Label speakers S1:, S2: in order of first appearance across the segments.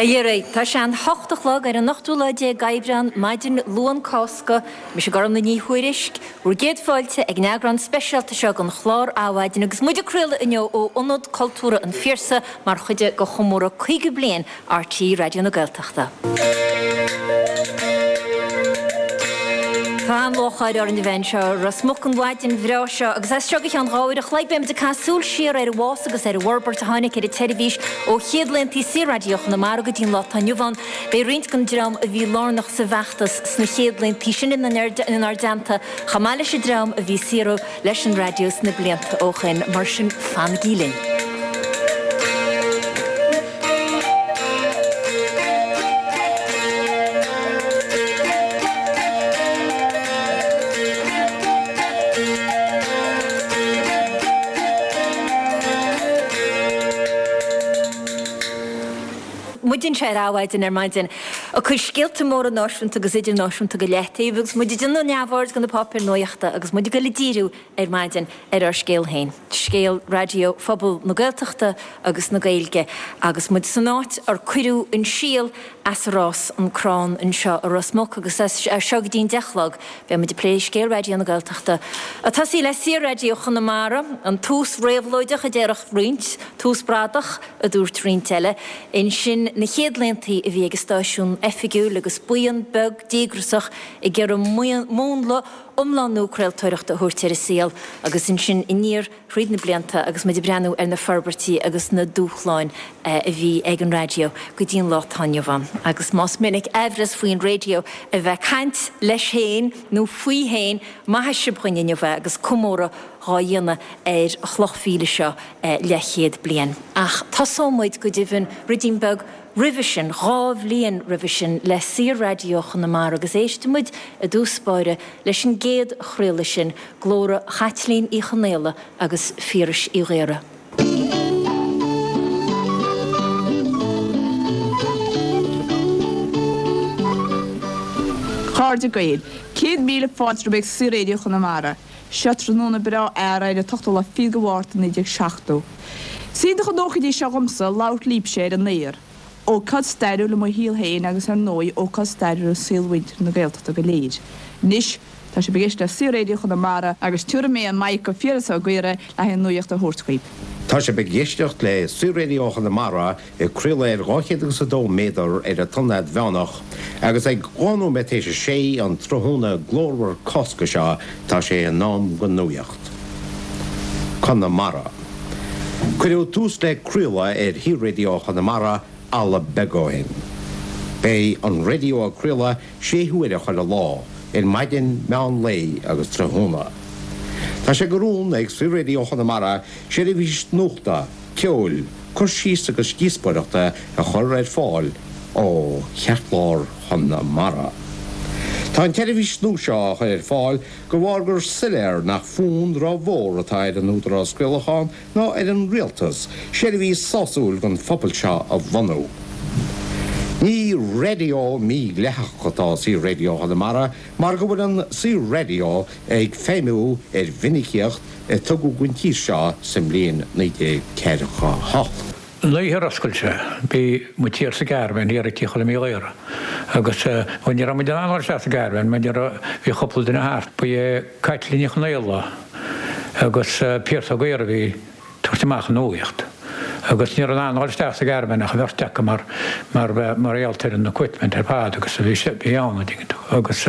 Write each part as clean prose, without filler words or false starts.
S1: A Dhera, tá sé an hocht a chlog ar an ochtú lá déag Aibreán, maidin Luan Cásca. Mise Gormlaith Ní Thuairisg, bhur gcéad fáilte ag an eagrán speisialta seo den chlár Adhmhaidin agus muid ag craoladh inniu ó Ionad Cultúrtha an Phiarsaigh mar chuid de chomóradh 50 bliain RTÉ Raidió na Gaeltachta. Tá an-lúcháir orainn a bheith anseo i Ros Muc an mhaidin bhreá seo agus as seo go ceann 2 uair a chloig beimid ag caitheamh súil siar ar an bhfás agus ar an bhforbairt a tháinig ar an tseirbhís ó chéad laethanta Saor-Raidió Chonamara go dtí an lá atá inniu ann. Beidh roinnt den dream a bhí lárnach sa bhfeachtas sna chéad laethanta sin inár dteannta chomh maith leis an dream a bhí ag saothrú leis an raidió sna blianta ó shoin, mar sin fanaigí linn. Muid anseo ar Adhmhaidin ar maidin ag cur scéalta móra náisiúnta agus idirnáisiúnta go leataobh agus muid ag déanamh neamhaird de na páipéir nuachta agus muid ag dul ag díriú ar maidin ar ár scéal féin, scéal raidió phobal na Gaeltachta agus na Gaeilge agus muid san áit ar cuireadh an síol as ar fhás an crann anseo i Ros Muc agus as seo go dtí an 10 a chlog beidh muid ag plé scéal Raidió na Gaeltachta ag tosaí le Saor-Raidió Chonamara, an tús réabhlóideach a déarfadh roinnt, tús bradach. a dúirt roinnt eile. Ansin na chéad laethanta a bhí ag an stáisiún oifigiúil agus buíon beag díograsach ag iarraidh múnla iomlán nua craoltóireachta a thabhairt ar an saol agus ansin aniar thríd na blianta agus muid ag breathnú ar na forbairtí agus na dúshláin a bhí ag an raidió go dtí an lá atá inniu ann. Agus más minic aimhreas faoin raidió a bheith ag caint leis féin nó faoi féin, maithfidh sibh dhuinn inniu é agus comóradh dhá dhéanamh ar chloch mhíle seo leathchéad bliain. Ach tosóidh muid, go deimhin, ruidín beag roimhe sin, 2 bhliain roimhe sin, le Saor-Raidió Chonamara agus éistfidh muid i dtús báire leis an gcéad chraoladh sin, glóra Chaitlín Uí Chonaola agus Phiarais Uí Ghaora.
S2: Chairde Gael, 100,000 fáilte romhaibh ag Saor-Raidió Chonamara. Seo tráthnóna breá earraigh ar an t-ochtú lá fichead de Mhárta 1970. Is iontach an ócáid í seo dhomsa labhairt libhse ar an aer. Ócáid stairiúil i mo shaol féin agus ar ndóigh ócáid stairiúil i saol mhuintir na Gaeltachta go léir. Anois, tá sibh ag éisteacht le Saor-Raidió Chonamara agus tabharfaidh mé an mic go Phiaras Ó Gaora le haghaidh an nuaíocht a thabhairt dhaoibh.
S3: Tá sibh ag éisteacht le Saor-Raidió Chonamara ag craoladh ar 202 méadar ar an tonnfhad mheánach, agus ag 2 nóiméad théis a sé an tráthnóna glórmhar Cásca seo tá sé in am don nuaíocht. Conamara. Cuireadh tús le craoladh ar Shaor-Raidió Chonamara ala beag ó shin. Beidh an raidió ag craoladh sé huaire chuile lá, ar maidin, meán lae agus tráthnóna. Tá sé de rún ag Saor-Raidió Chonamara seirbhís nuachta, ceoil, cur síos agus díospóireachta a chur ar fáil ó cheartlár Chonamara. Tá an tseirbhís nua seo á chur ar fáil de bharr gur soiléir nach fonn ró-mhór atá ar an Údarás Craolacháin ná ar an Rialtas seirbhís sásúil don phobal seo a bhunú. Ní raidió mídhleathach atá i Saor-Raidió Chonamara mar go bhfuil an Saor-Raidió ag feidhmiú ar mhinicíocht a tugadh don tír seo sa mbliain 1948.
S4: An oíche ar oscail sé, bhí muid thiar sa gcaravan thiar ag Tigh Choilm Uí Ghaora agus, bhuel ní raibh muid in ann dul isteach sa gcaravan mar ní raibh, bhí cúpla duine thart. Ba é Caitlín Ní Chonaola agus Pearse Ó Gaora a bhí tabhairt amach an nuaíocht agus ní raibh in ann dul isteach sa gcaravan ach an bheirt acu mar mar mar gheall ar an equipment ar fad agus a bhí bhí ann an dtuigeann tú agus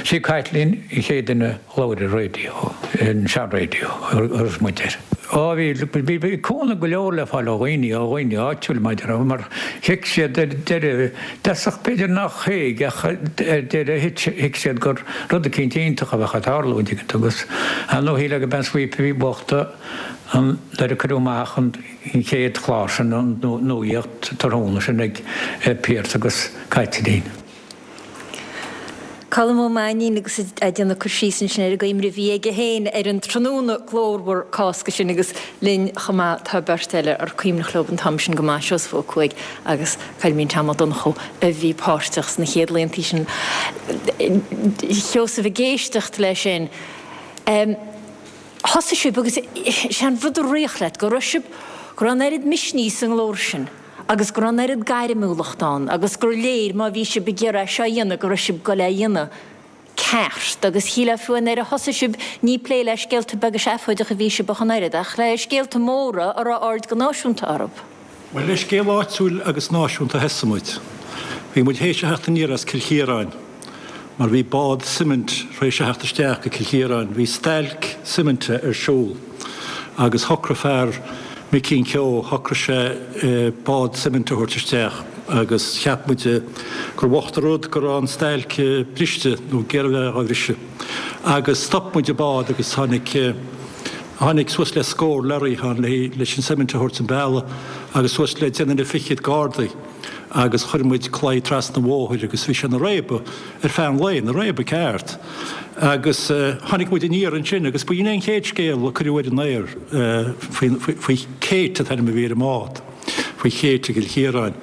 S4: sí Caitlín an chéad duine a labhair ar raidió an sean-raidió a raibh muid air. Á bhí bhí bhí cúnamh go leor le fáil ó dhaoine ó dhaoine áitiúil maidir mar thuig siad ar deireadh dtosach b'fhéidir nach thuig ach ar deireadh thuig siad gur rud eicínt iontach a bheadh ag tarlú an dtuigeann tú agus ar ndóigh shílfeá gurb é an sweep a bhí bocht an nuair a cuireadh amach an chéad chlár sin, an nuaíocht tráthnóna sin ag Pearse agus Caitlín.
S1: Colm Ó Mainnín agus é ag déanamh cur síos ansin ar an gcuimhne a bhí aige féin ar an tráthnóna glórmhar Cásca sin agus linn chomh maith tá beirt eile ar cuimhneach leo an t-am sin go maith, Seosamh Ó Cuaig agus Coilmín Tom Ó Donnchú a bhí páirteach sna chéad laethanta sin. Sheosaimh, ag éisteacht leis sin. Thosaigh sibh agus sé an rud a rith leat, go raibh sibh, go raibh an oiread misnigh sa nglór sin. agus go raibh an oiread gairmiúlacht ann agus gur léir má bhí sibh ag iarraidh é seo a dhéanamh go raibh sibh ag goil é a dhéanamh ceart agus shílfeá fiú nuair a thosaigh sibh ní plé le scéalta beaga seafóideacha a bhí sibh ach an oiread ach le scéalta móra a raibh aird go náisiúnta orthu.
S5: Bhuel, le scéal áitiúil agus náisiúnta a thosaigh muid. Bhí muid théis a theacht aniar as Cill Chiaráin mar bhí bád suimint tar éis a theacht isteach go Cill Chiaráin. Bhí stailc suiminte ar siúl agus shocraigh fear, Micín Keogh, shocraigh sé bád suiminte a thabhairt isteach agus cheap muide gur bhocht an rud go raibh an stailc briste nó ag iarraidh a bheith á bhriseadh. Agus stop muid an bád agus tháinig, Tháinig suas le scór lorry ann leis an suimint a thabhairt an bealach agus suas le deich nduine fichead gardaí agus chuir muid claí trasna an bhóthair agus bhí sé ina réabadh ar feadh an lae, ina réabadh ceart. Agus tháinig muid aniar ansin agus ba in é an chéad scéal a cuireadh ar an aer faoi Kate an t-ainm a bhí ar an mbád. faoi Kate i gCill Chiaráin.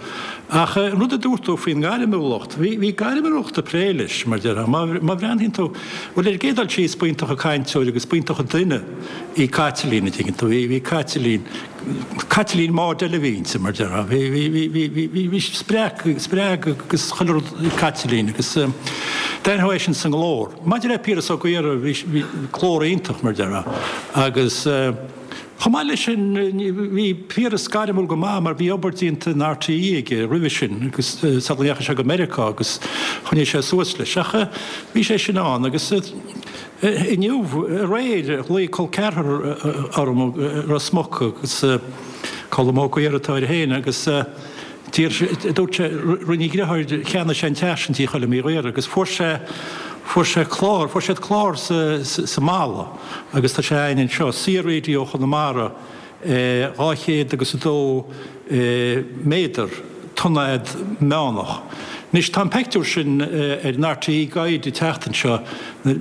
S5: Ach an rud a dúirt tú faoin ngairmiúlacht, bhí, bhí gairmiúlacht ag plé leis, mar déarfá. Má, má bhreathnaíonn tú, bhuel ar an gcéad dul síos, b'iontach an cainteoir agus b'iontach an duine í Caitlín, an dtuigeann tú, bhí, bhí Caitlín, Caitlín Maude eile a bhí inti, mar déarfá. Bhí, bhí, bhí, bhí, bhí, bhí, bhí spreag, spreag agus chuile rud ag Caitlín agus d'aithneofá é sin sa nglór. Maidir le Piaras Ó Gaora, bhí, bhí glór iontach, mar déarfá, agus. Chomh maith leis sin, bhí Piaras gairmiúil go maith mar bhí obair déanta in RTÉ aige roimhe sin agus sula ndeachaigh sé go Meiriceá agus choinnigh sé suas leis. Ach bhí sé sin ann agus inniu, aréir, ghlaoigh col ceathrar orm i Ros Muc agus Colm Ó Gaora atá air féin agus d'iarr sé, dúirt sé, rinne a dheartháir, cheannaigh sé an teach sin Tí Choilm Uí Ghaora agus fuair sé, fuair sé clár, fuair siad clár sa, sa mballa. Agus tá sé againn anseo, Saor-Raidió Chonamara, 200 agus 2 méadar, tonnfhad meánach. Anois, tá an peictiúr sin ar an RTÉ Guide an tseachtain seo,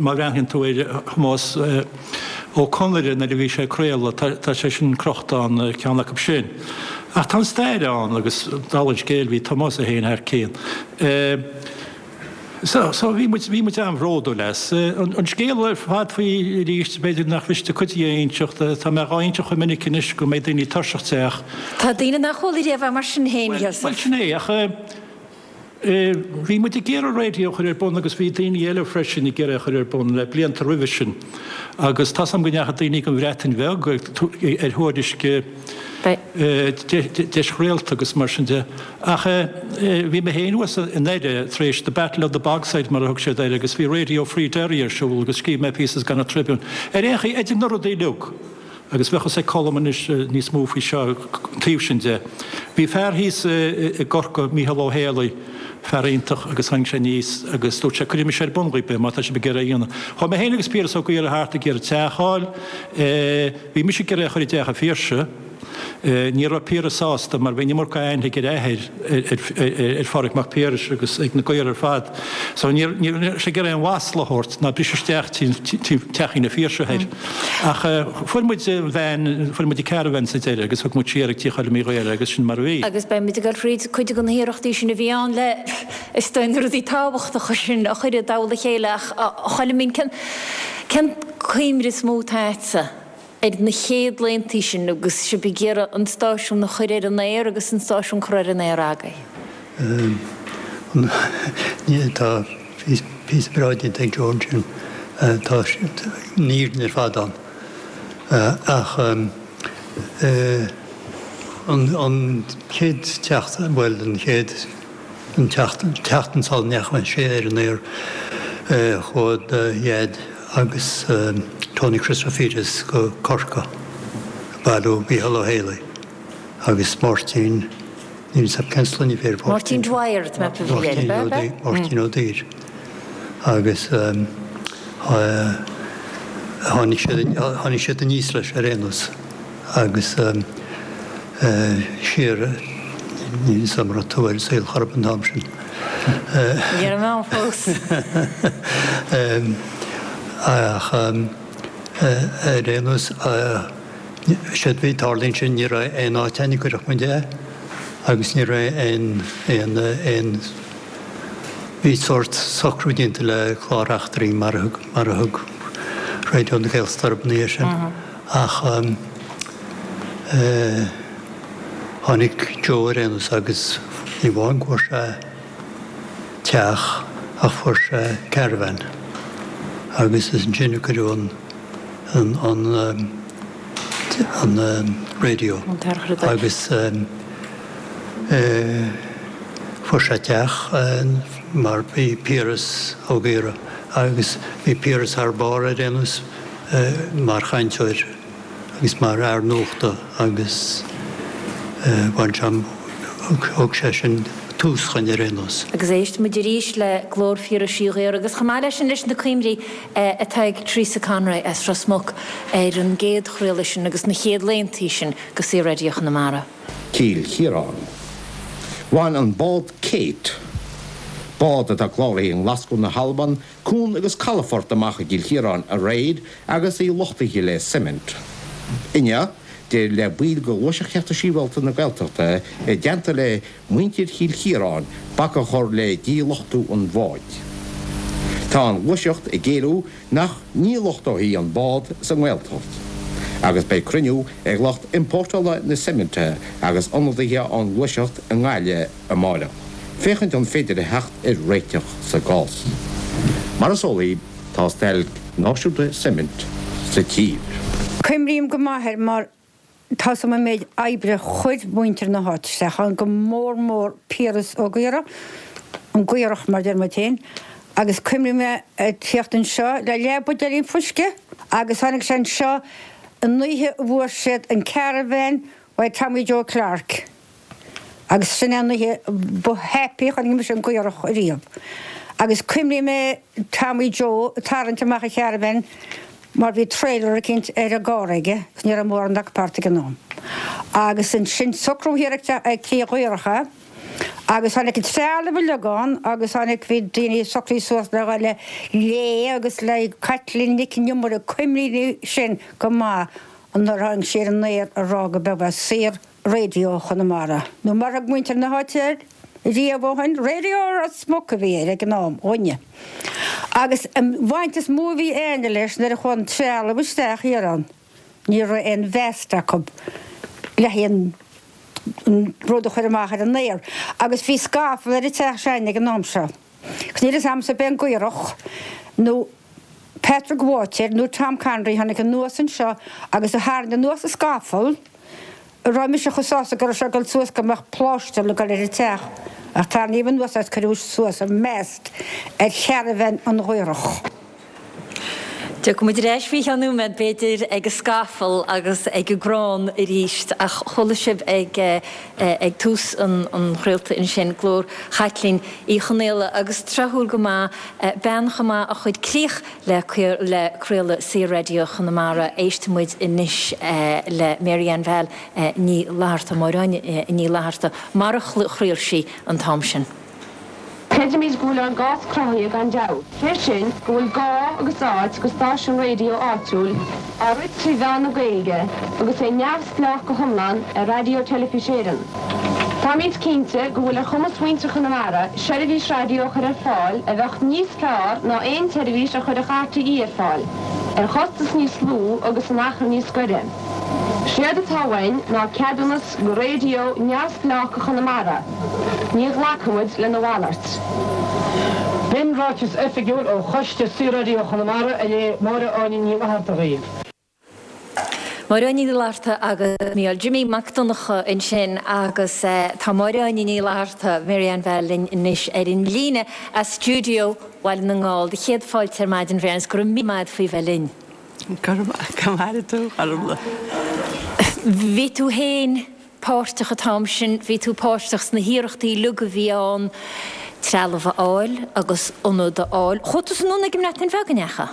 S5: má bhreathnaíonn tú ar Thomás Ó Conaire nuair a bhí sé ag craoladh, tá sé sin crochta ann, ceann acu sin. Ach tá an stair ann agus dála an scéil bhí Tomás é féin thar cionn. So, so bhí muid, bhí muid an-bhródúil as. An scéal ar fad faoi arís, b'fhéidir nach miste cuid de a inseacht, tá mé dhá inseacht chomh minic anois go mbeidh daoine tuirseach de ach.
S1: Tá daoine nach bhfuil riamh mar sin féin, a Sheosaimh.
S5: Bhuel, sin é, ach bhí muid ag iarraidh raidió a chur ar bun agus bhí daoine eile freisin ag iarraidh a chur ar bun le blianta roimhe sin agus tá's agam go ndeachaigh daoine go an Bhreatain Bheag ar thuairisc deis réalta agus mar sin de. Ach bhí mé féin thuas i nDoire tar éis The Battle of the Bogside mar a thug siad air agus bhí Radio Free Derry ar siúl agus scríobh mé píosa sa Connacht Tribune. Ar aon chaoi, idir na rudaí uilig, agus bheadh fhios ag Colm anois níos mó faoi seo, an taobh sin de, bhí fear thíos i gCorcaigh, Mícheál Ó Héalaí, fear iontach agus tháinig sé aníos agus dúirt sé cuirfidh mise ar bun dhaoib é má tá sibh ag iarraidh é a dhéanamh. Chuaigh mé féin agus Piaras Ó Gaora thart ag iarraidh teach a fháil, bhí mise ag iarraidh é a chur i dteach an Phiarsaigh, Ní raibh Piaras sásta mar bhí an iomarca aithne ag a athair ar Phádraig Mac Piarais agus ag na Gaora ar fad. So ní raibh sé ag iarraidh aon mhasla a thabhairt ná briseadh isteach teachín an Phiarsaigh air. Ach fuair muid an veain, fuair muid an caravan sa deireadh agus thug muid siar ag Tigh Choilm Uí Ghaora agus sin mar a bhí.
S1: Agus beidh muid ag dul fríd cuid de na hiarrachtaí sin a bhí ann le, is dóigh, na rudaí tábhachtacha sin a chur i dtoll a chéile ach a Choilmín, cén, cén cuimhne is mó atá agatsa? ar na chéad laethanta sin agus sibh ag iarraidh an stáisiún a chur ar an aer agus an stáisiún curtha ar an aer agaibh?
S6: Tá píosa breá déanta ag Joe ansin. Tá an fhírinne ar fad ann. Ach an chéad tseachtain, bhuel an chéad. An tseachtain sula ndeachaigh sé ar an aer chuaigh do Dhaid agus Tony Christofides go Corcaigh ag bailiú Mícheál Ó Héalaí agus Máirtín, níl 'fhios a'm cén sloinne a bhí ar
S1: Mháirtín. Máirtín Dwyer tá mé ag ceapadh a bhí air, ab ea?
S6: Máirtín Ó Duibhir agus tháinig siad, tháinig siad aníos leis ar aon nós. Agus siar, níl 'fhios a'm an raibh tú ar an saol chor ar bith an t-am sin.
S1: Ní raibh mé ann fós.
S6: Ach ar aon nós, séard a bhí ag tarlú ansin, ní raibh aon áit ann a gcuirfeadh muid é agus ní raibh aon, aon, aon, bhí sórt socrú déanta le clár eachtraí mar a thug, mar a thug Raidió na Gaeltachta orthu ina dhiaidh sin. Ach. Tháinig Joe ar aon nós agus ní amháin go bhfuair sé teach ach fuair sé caravan agus is ansin a cuireadh an an an an radio agus fuair sé teach mar bhí Piaras Ó Gaora agus bhí Piaras thar barr ar aon nós mar chainteoir. agus mar fhear nuachta agus bhain sé, thug sé sin tús dhuinn ar aon nós.
S1: Agus éistfidh muid arís le glór Phiarais Uí Ghaora agus chomh maith leis sin leis na cuimhní atá ag Teresa Conroy as Ros Muc ar an gcéad chraoladh sin agus na chéad laethanta sin de Saor-Raidió Chonamara.
S3: Cill Chiaráin. Bhain an bád Kate, bád atá cláraithe i nGlaschú na hAlban, Cuan agus calafort amach i gCill Chiaráin aréir agus í luchtaithe le suimint. Inniu, d'éirigh le baill de Ghluaiseacht Chearta Sibhialta na Gaeltachta i dteannta le muintir Chill Chiaráin bac a chur le díluchtú an bháid. Tá an Ghluaiseacht ag éileamh nach ndíluchtófaí an bád sa nGaeltacht agus beidh cruinniú ag lucht iompórtála na suiminte agus ionadaithe ón nGluaiseacht i nGaillimh amáireach, féachaint an féidir a theacht ar réiteach sa gcás. Mar is eol daoibh, tá stailc náisiúnta suimint sa tír.
S7: Cuimrím go maith air mar tá's a'm an méid oibre chuir muintir na háite isteach ann, go mór mór Piaras Ó Gaora, an Gaorach mar deir muid féin, agus cuimrím é ag tíocht anseo le leath buidéilín fuisce agus tháinig sé anseo an oíche a bhfuair siad an caravan uaidh Tommy Joe Clarke. Agus sin é an oíche ba happy a chonaic mise an Gaorach ariamh. Agus cuimrím é Tommy Joe ag tarraingt amach an charavan mar bhí trailer eicínt ar an gcarr aige agus ní raibh mórán acu thart ag an am. Agus ansin socrú thiar ag tigh an Ghaorach é agus tháinig an trealamh uilig ann agus tháinig bhí daoine socraithe suas le dhul le Lé agus le Caitlín Nic an Iomaire cuimrím sin go maith nuair a tháinig sé ar an aer a rá go b'é Saor Raidió Chonamara, nó mar a thug muintir na háite air riamh ó shin, Raidió Ros Muc a bhí air ag an am, dhúinne. Agus an bhaint is mó a bhí a'inne leis nuair a chuaigh an trealamh isteach thiar ann, ní raibh aon mhast acu le haghaidh an rud a chur amach ar an aer. Agus bhí scafall ar an teach s'a'inne ag an am seo. Agus níl fhios a'msa ab é an Gaorach nó Patrick Bháitéir nó Tom Conroy tháinig anuas anseo agus a tharraing anuas an scafall a raibh mise chomh sásta go raibh sé ag dul suas go mbeadh pláistear ag dul ar an teach ach tarraingíodh anuas é is cuireadh suas an mast ar charavan an Ghaorach.
S1: Tiocfaidh muid ar ais faoi cheann nóiméad b'fhéidir ag an scafall agus ag an gcrann arís ach chuala sibh ag ag tús an chraolta ansin glór Chaitlín Uí Chonaola agus tráthúil go maith bean chomh maith a chuir críoch le le craoladh Saor-Raidió Chonamara. Éistfidh muid anois le Mary Ann Val Ní Fhlatharta, Máire Áine Ní Fhlatharta, mar a chraol sí an t-am sin.
S8: Creidimid go bhfuil ár gcás cruthaithe gan dabht, sé sin, go bhfuil gá agus áit go stáisiún raidió áitiúil, á rith trí mheán na Gaeilge agus é neamhspleách go hiomlán ar Raidió Teilifís Éireann. Táimid cinnte go bhfuil ar chumas mhuintir Chonamara seirbhís raidió a chur ar fáil a bheadh níos fearr ná aon tseirbhís a chuirfeadh RTÉ ar fáil, ar chostas níos lú agus in achar níos gaire. Séard atá uainn ná ceadúnas go raidió neamhspleách go Chonamara. Ní ghlacfaimid lena mhalairt.
S9: B'in ráiteas oifigiúil ó Choiste Saor-Raidió Chonamara a léigh Máire Áine Ní Fhlatharta dhaoibh.
S1: Máire Áine Ní Fhlatharta agus Mícheál Jimmy Mac Donncha ansin agus tá Máire Áine Ní Fhlatharta, Mary Ann Val linn anois ar an líne as stiúideo Bhaile na nGall. Do chéad fáilte ar maidin, Mary Ann, is go raibh míle maith agat faoi bheith linn.
S10: Go raibh maith agat, a Ghormfhlaith.
S1: Bhí tú féin páirteach an t-am sin, bhí tú páirteach sna hiarrachtaí uilig a bhí ann trealamh a fháil agus ionad a fháil. Chuaigh tusa anonn ag an mBreatain Bheag, an ndeachaigh?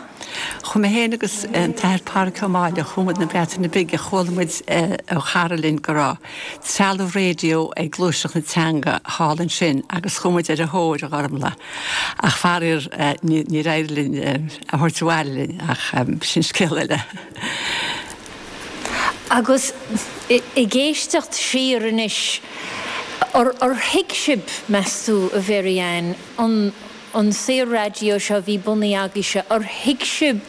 S10: Chuaigh mé féin agus an tAthair Pádraig Ó Máille, chuaigh muid na Breataine Bige, chuala muid ó chara linn go raibh trealamh raidió ag Gluaiseacht na Teanga thall ansin agus chuaigh muid ar a thóir, a Ghormfhlaith. Ach faraor níor éirigh linn é a thabhairt abhaile linn ach sin scéal eile.
S1: Agus ag éisteacht siar anois, ar thuig sibh, meas tú, a Mhary Ann, an. an Saor-Raidió seo a bhí bunaithe agaibhse, ar thuig sibh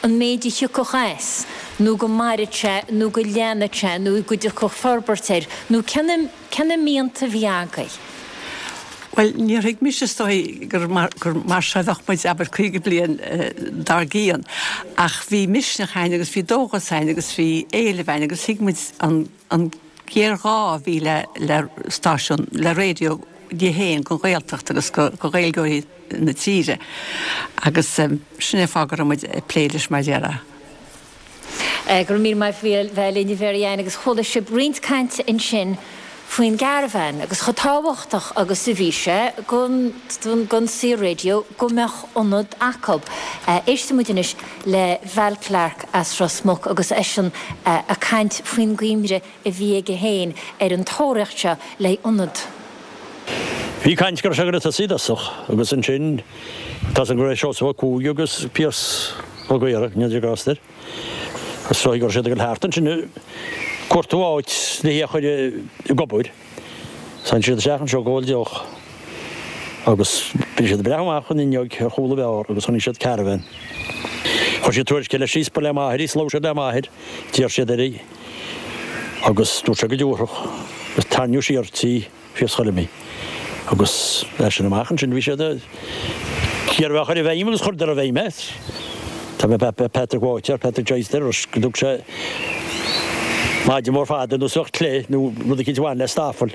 S1: an méid a thiocfadh as, nó go mairfeadh sé, nó go leanfadh sé, nó go dtiocfadh forbairt air, nó cé na, cé na mianta a bhí agaibh?
S10: Bhuel, níor thuig mise is dóigh gur mar, gur mar seo a bheadh muid, abair, 50 bliain dár gcionn, ach bhí misneach a'inn agus bhí dóchas a'inn agus bhí éileamh a'inn agus thuig muid an, an géarghá a bhí le, le stáisiún, le raidió di féin don Ghaeltacht agus do Ghaeilgeoirí na tíre agus sin é an fáth go raibh muid ag plé leis mar a déarfá.
S1: Go raibh míle maith agat bheith linn a Mhary Ann agus chuala sibh roinnt cainte ansin faoin gcaravan agus chomh tábhachtach agus a bhí sé don don Saor-Raidió go mbeadh ionad acu. Éistfidh muid anois le Val Clarke as Ros Muc agus eisean ag caint faoin gcuimhne a bhí aige féin ar an tóraíocht seo le ionad.
S11: Bhí caint go raibh sé ag goil a tosaí i dtosach agus ansin tá 's agam go raibh Seosamh Ó Cuaig agus Pearse Ó Gaora, go ndéana Dia grásta air, is dóigh go raibh siad ag goil thart ansin ag cuartú áit le hí a chur ag obair. Tháinig siad isteach anseo ag ól deoch agus bhí siad ag breathnú amach an fhuinneog ar chúl an bheár agus chonaic siad caravan. Chuir siad tuairisc eile síos, ba le m'athair í, 's labhair siad le m'athair, d'iarr siad air í. Agus dúirt sé go dtabharfadh, agus tarraingíodh siar tí Phiarsaigh Choilm í. Agus as sin amach ansin bhí siad ag iarraidh é a chur i bhfeidhm agus chuireadar i bhfeidhm é. Tá mé Patrick Walter, Patrick Joyce deir go dtug sé maide mór fada nó suach clé nó rud eicínt a bhain le stafall.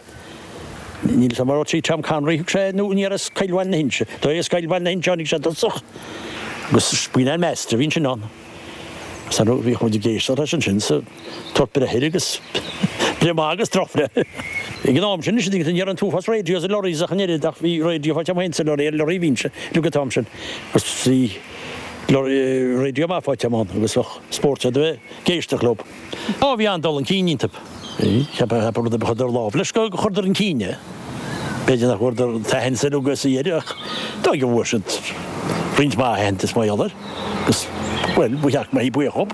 S11: Níl 'fhios a'm an raibh tí Tom Connery thug sé nó ní as Coill Bhaile na hInse. Dó as Coill Bhaile na hInse tháinig sé i dtosach. Agus b'in an master a bhí ansin ann. Sea, nó bhíodh muid ag éisteacht leis ansin sa tabhairt breith air agus breith maith agus drochbhreith. Ag an am sin, ní raibh an t-uafás radios i lorries ach an oiread ach bhí radio faighte agam féin sa lorry, ar lorry a bhínnse uilig an t-am sin agus bhí radio maith faighte agam ann agus bheadh spórt a bheith ag éisteacht leo. Á, bhí an-dul chun cinn iontu. Cheapfá rud ar bith a chuireadar lámh leis go chuireadar chun cinn é. B'fhéidir nach bhfuaireadar an t-aitheantas uilig is a iarradh ach dóigh go bhfuair siad roinnt mhaith aitheantais mar gheall air agus, bhuel, ba cheart go mbeifí buíoch dhób.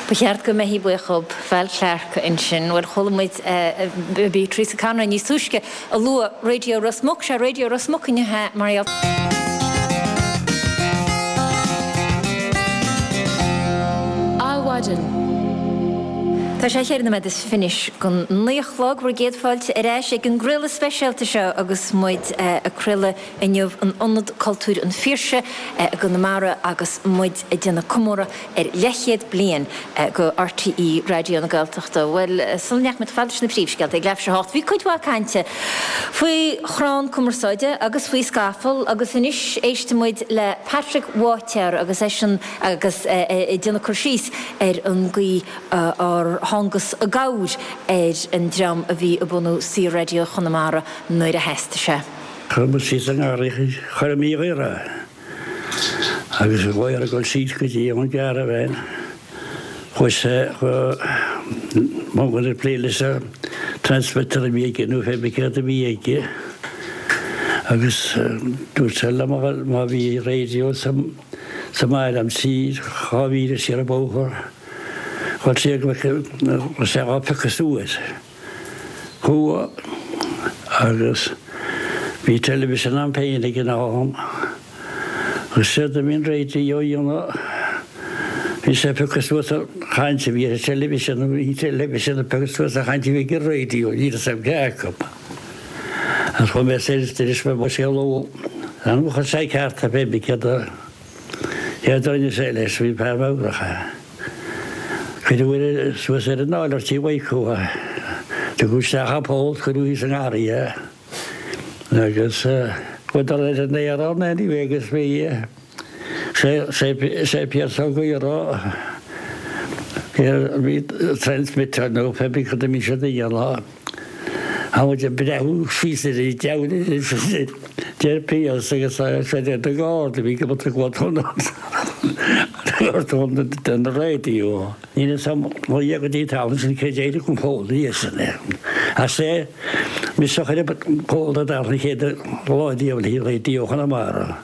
S1: Ba cheart go mbeifí buíoch dhób. Val Clarke ansin. Bhuel, chuala muid bhí Teresa Conroy níos túisce a lua Raidió Ros Muc. Sea, Raidió Ros Muc inniu mar gheall.
S8: Adhmhaidin.
S1: Tá sé cheithre nóiméad is fiche don naoi a chlog, bhur gcéad fáilte ar ais ag an gcraoladh speisialta seo agus muid ag craoladh inniu in Ionad Cultúir an Phiarsaigh i gConamara agus muid ag déanamh comóradh ar leathchéad bliain de RTÉ Raidió na Gaeltachta. Bhuel, sula ndeachaigh muid chomh fada leis na príomhscéalta ag leathuair tar éis a hocht, bhí cuid mhaith cainte faoi chrann cumarsáide agus faoi scafall agus anois éistfidh muid le Patrick Bháitéar agus eisean agus é ag déanamh cur síos ar an gcaoi ar thángas i gcabhair ar an dream a bhí ag bunú Saor-Raidió Chonamara nuair a theastaigh sé.
S12: Chuir muid síos i nGarraí Choilm Uí Ghaora. Agus a ghlaoth ag dul síos go dtí an gcaravan, chuaigh sé go mbun ag plé leis an transmitter a bhí aige nó pé bith céard a bhí aige agus dúirt sé liom má bhí raidió sa mbaile agam siar 2 mhíle siar an bóthar, chuir sé go raibh sé á phiocadh suas. Chuaigh agus bhí television a'm féin ag an am agus séard a bhí an raidió a dhéanamh, bhí sé ag piocadh suas an chaint a bhí ar an television, bhí an television ag piocadh suas an chaint a bhí ag an raidió, ní raibh 'fhios a'm cé acu. Agus chuaigh mé soir is d'inis mé mo scéal dó, chuir sé ceart é pé bith céard a céard a rinne sé leis, bhí fear meabhrach é. Cuireadh suas ar an áiléar tí Mhaidhc é. Tugadh isteach an poll, cuireadh thíos i ngarraí é. Agus chuadar ar an aer ann anyway agus bhí sé Pearse Ó Gaora bhí transmitter nó pé bith cad a bhí siad a dhéanamh. Tá muid ag breathnú síos ar an deabhal deir Pearse agus tá sé ar na gardaí bhí go den raidió. Níl fhios a'm ó Dhia go dtí an t-am sin cé d'éirigh an pól ina dhiaidh sin. Ach sé mise a chuir an pól ar an chéad lá riamh le Raidió Chonamara.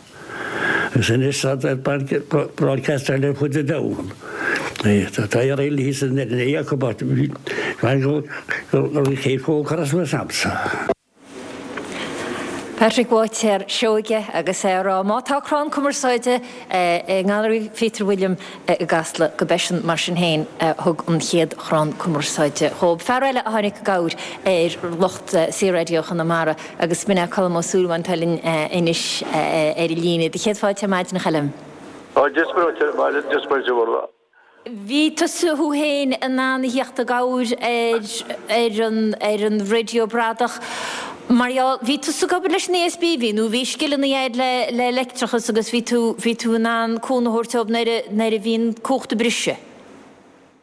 S12: Agus anois tá broadcast ar fud an domhain. Tá ar aon thíos in Éirinn acu but go raibh an chéad phól curtha suas a'msa.
S1: Patrick Bháitéar Seoige agus é ag rá má tá crann cumarsáide i nGailearaí Pheter William i gCasla go b'eisean mar sin féin a thug an chéad chrann cumarsáide dhóibh. Fear eile a tháinig i gcabhair ar lucht Saor-Raidió Chonamara agus b'in é Colm Ó Súilleabháin atá linn anois ar an líne. Do chéad fáilte ar maidin a Choilm.
S13: Tá Dia duit.
S1: Bhí tusa thú féin in ann a theacht i gcabhair ar ar an ar an raidió bradach mar gheall, bhí tusa ag obair leis an ESB, bhí, nó bhí scileanna agat le le leictreachas agus bhí tú bhí tú in ann cúnamh a thabhairt dóibh nuair a nuair a bhí an cumhacht ag briseadh.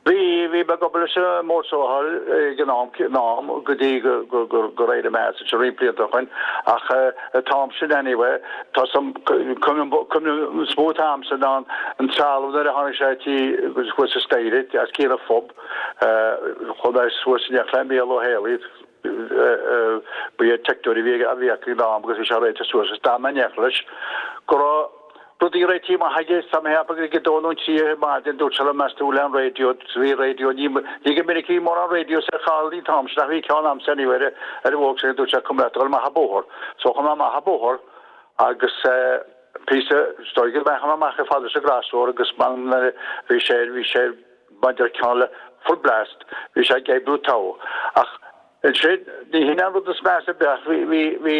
S13: Bhí, bhí mé ag obair leis an mBord Soláthair ag an am an am go dtí go go go gur éirigh mé as ansin roinnt blianta ó shoin ach an t-am sin anyway Tá some cuimhne is mó atá a'msa ná an trealamh nuair a tháinig sé tí thuas an staighre as cionn an phub chuaigh mé suas in éineacht le Mícheál Ó Héalaí ba é teicneoir a bhí a bhí acu ag an am agus bhí sé réitithe suas agus d'fhan mé in éineacht leis go raibh rudaí réitithe amach aige tá mé ag ceapadh ag a dó nó an trí ar maidin dúirt sé liom meas tú le an raidió bhí raidió ní ní go minic a bhí mórán radios ar fáil an t-am sin ach bhí ceann a'msa anyway ar ar an Volkswagen dúirt sé come leat dul amach an bóthar So chuaigh mé amach an bóthar agus píosa is dóigh go mbeadh amach chomh fada leis an gcrosáir agus man bhí sé bhí sé maidir ceann le full blast bhí sé ag oibriú togha. Ach ansin ní hin an rud is measa ar bith ach bhí bhí bhí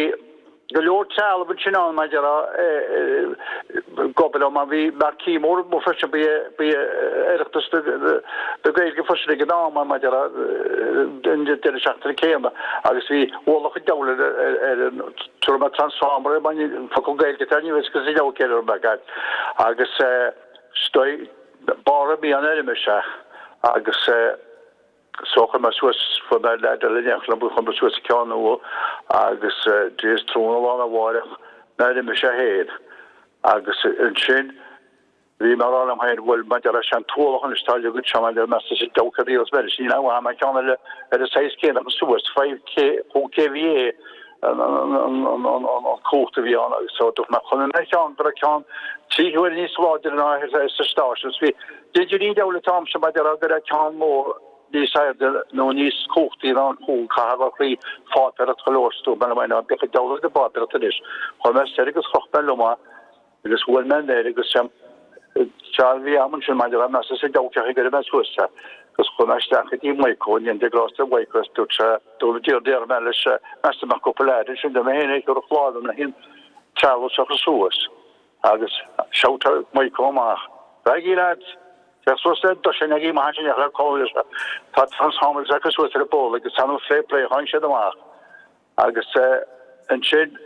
S13: go leor trealamh ansin ann maidir a ag obair ann mar bhí marquee mór mór freisin ba é ba é Oireachtas na Gaeilge freisin ag an am maidir a an deireadh seachtaine céanna agus bhí ualach an diabhail ar an tabharfaidh mé transformer air focal Gaeilge atá ní bheidh sa leabhar céanna ar an agus is barr a bhí an fheirm is ea agus so chuir mé suas fuair mé leaid eile in éineacht liom chuir mé suas ceann nua agus Dia is tráthnóna lá arna mháireach nuair a d'imigh sé féin agus ansin Bhí mé ag rá liom féin, bhuel, maidir leis an t-ualach anois atá leagtha anseo, maidir le meas is dócha a riail is níl aon mhaith ceann eile ar an saghas céanna a chur suas, 5 K, 5 kVA an cumhacht a bhí ann agus so dúirt mé chonaic mé ceann go raibh ceann trí huaire níos láidre ná ar sa stáisiún. Bhí b'fhéidir ní diabhal an t-am seo maidir le go raibh ceann mór níos airde nó níos cumhachtaí ná an chúl caithfidh gur chroí pháipéireacht go leor sa dúirt mé liom féin, bíodh an diabhal ag an bpáipéireacht anois. Chuir mé soir agus chroch mé liom é. Agus bhuail mé an aer agus sé a bhí a'm ansin maidir le meas is a deabhadh ag iarraidh mé suas é agus chuaigh mé isteach go dtí Maidhcó i ndiaidh grásta Mhaidhcó agus dúirt sé dúirt deir deir mé leis meas tú mbeadh cúpla leaid ansin dúirt mé féin é thiúrfadh láimh dom le haon trealamh a chur suas agus shout Maidhcó amach Raghaidh lads! Féach suas le dosaen agaibh amach ansin le cóir tá transformers acu suas ar an bpól agus tá fair play tháinig siad amach Agus ansin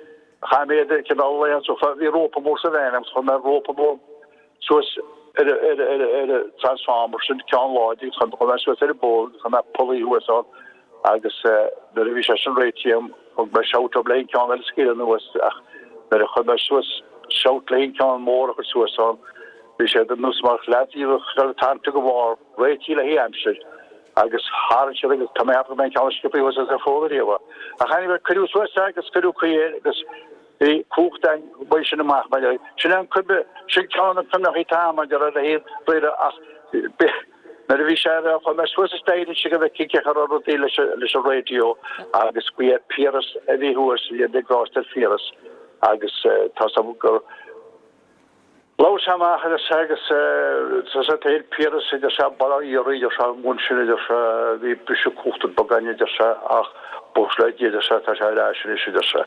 S13: chaith mé iad ar cineál laethanta so bhí rópa mór sa veain agus chuir mé rópa mór suas ar ar ar ar an transformer sin ceann láidir agus chuir mé suas ar an bpól agus chuir mé pulley thuas ann agus nuair a bhí sé sin réitithe agam thug mé shout dóibh le an ceann eile a scaoileadh anuas ach nuair a chuir mé suas shout le an ceann mór a chur suas ann bhí sé ar nós mar leads a bhí tarraingthe go bharr réitithe le haghaidh aimsir. Agus tharraing siad agus tá mé ag ceapadh go mbeidh an ceann sciobtha thuas as an bhfód ariamh. Ach anyway, cuireadh suas é agus cuireadh caoi air agus bhí cumhacht ann uaidh sin amach mar sin an cuimhne, sin ceann de na cuimhneachaí atá agam maidir le haon riaradh ach nuair a bhí sé ar, chuir mé suas an staighre ansin go bhfeicfinn cén chaoi a raibh rudaí leis leis an raidió agus ba é Piaras a bhí thuas, bhí an grásta ar Phiaras agus tá 's agam gur Labhair sé amach agus agus sa tsaol Piaras a deir sé bail ó Dhia oraibh a deir sé an bhun sin a deir sé bhí briseadh cumhachta beag againn a deir sé ach buíochas le Dia a deir sé tá sé ar ais anois a deir sé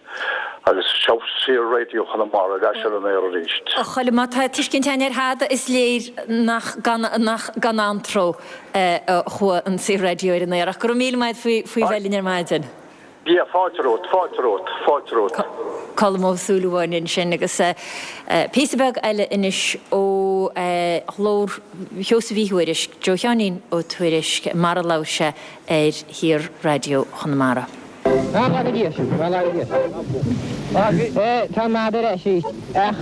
S13: agus seo Saor Raidió Chonamara ar ais ar an aer arís.
S1: A Choilm, má tá tuiscint againn ar thada is léir nach gan nach gan antró a chuaigh an Saor Raidió ar an aer ach go raibh míle maith agat faoi faoi bheith linn ar maidin.
S13: Yeah, fáilte romhat, fáilte romhat, fáilte romhat.
S1: Colm Ó Súilleabháin ansin agus píosa beag eile anois ó ghlór Sheosaimh Uí Thuairisg, Joe Sheáinín Ó Tuairisg, mar a labhair sé ar Shaor-Raidió Chonamara.
S9: Tá an lá go Dia sin, tá an lá go Dia sin. Tá an madadh ar ais arís, ach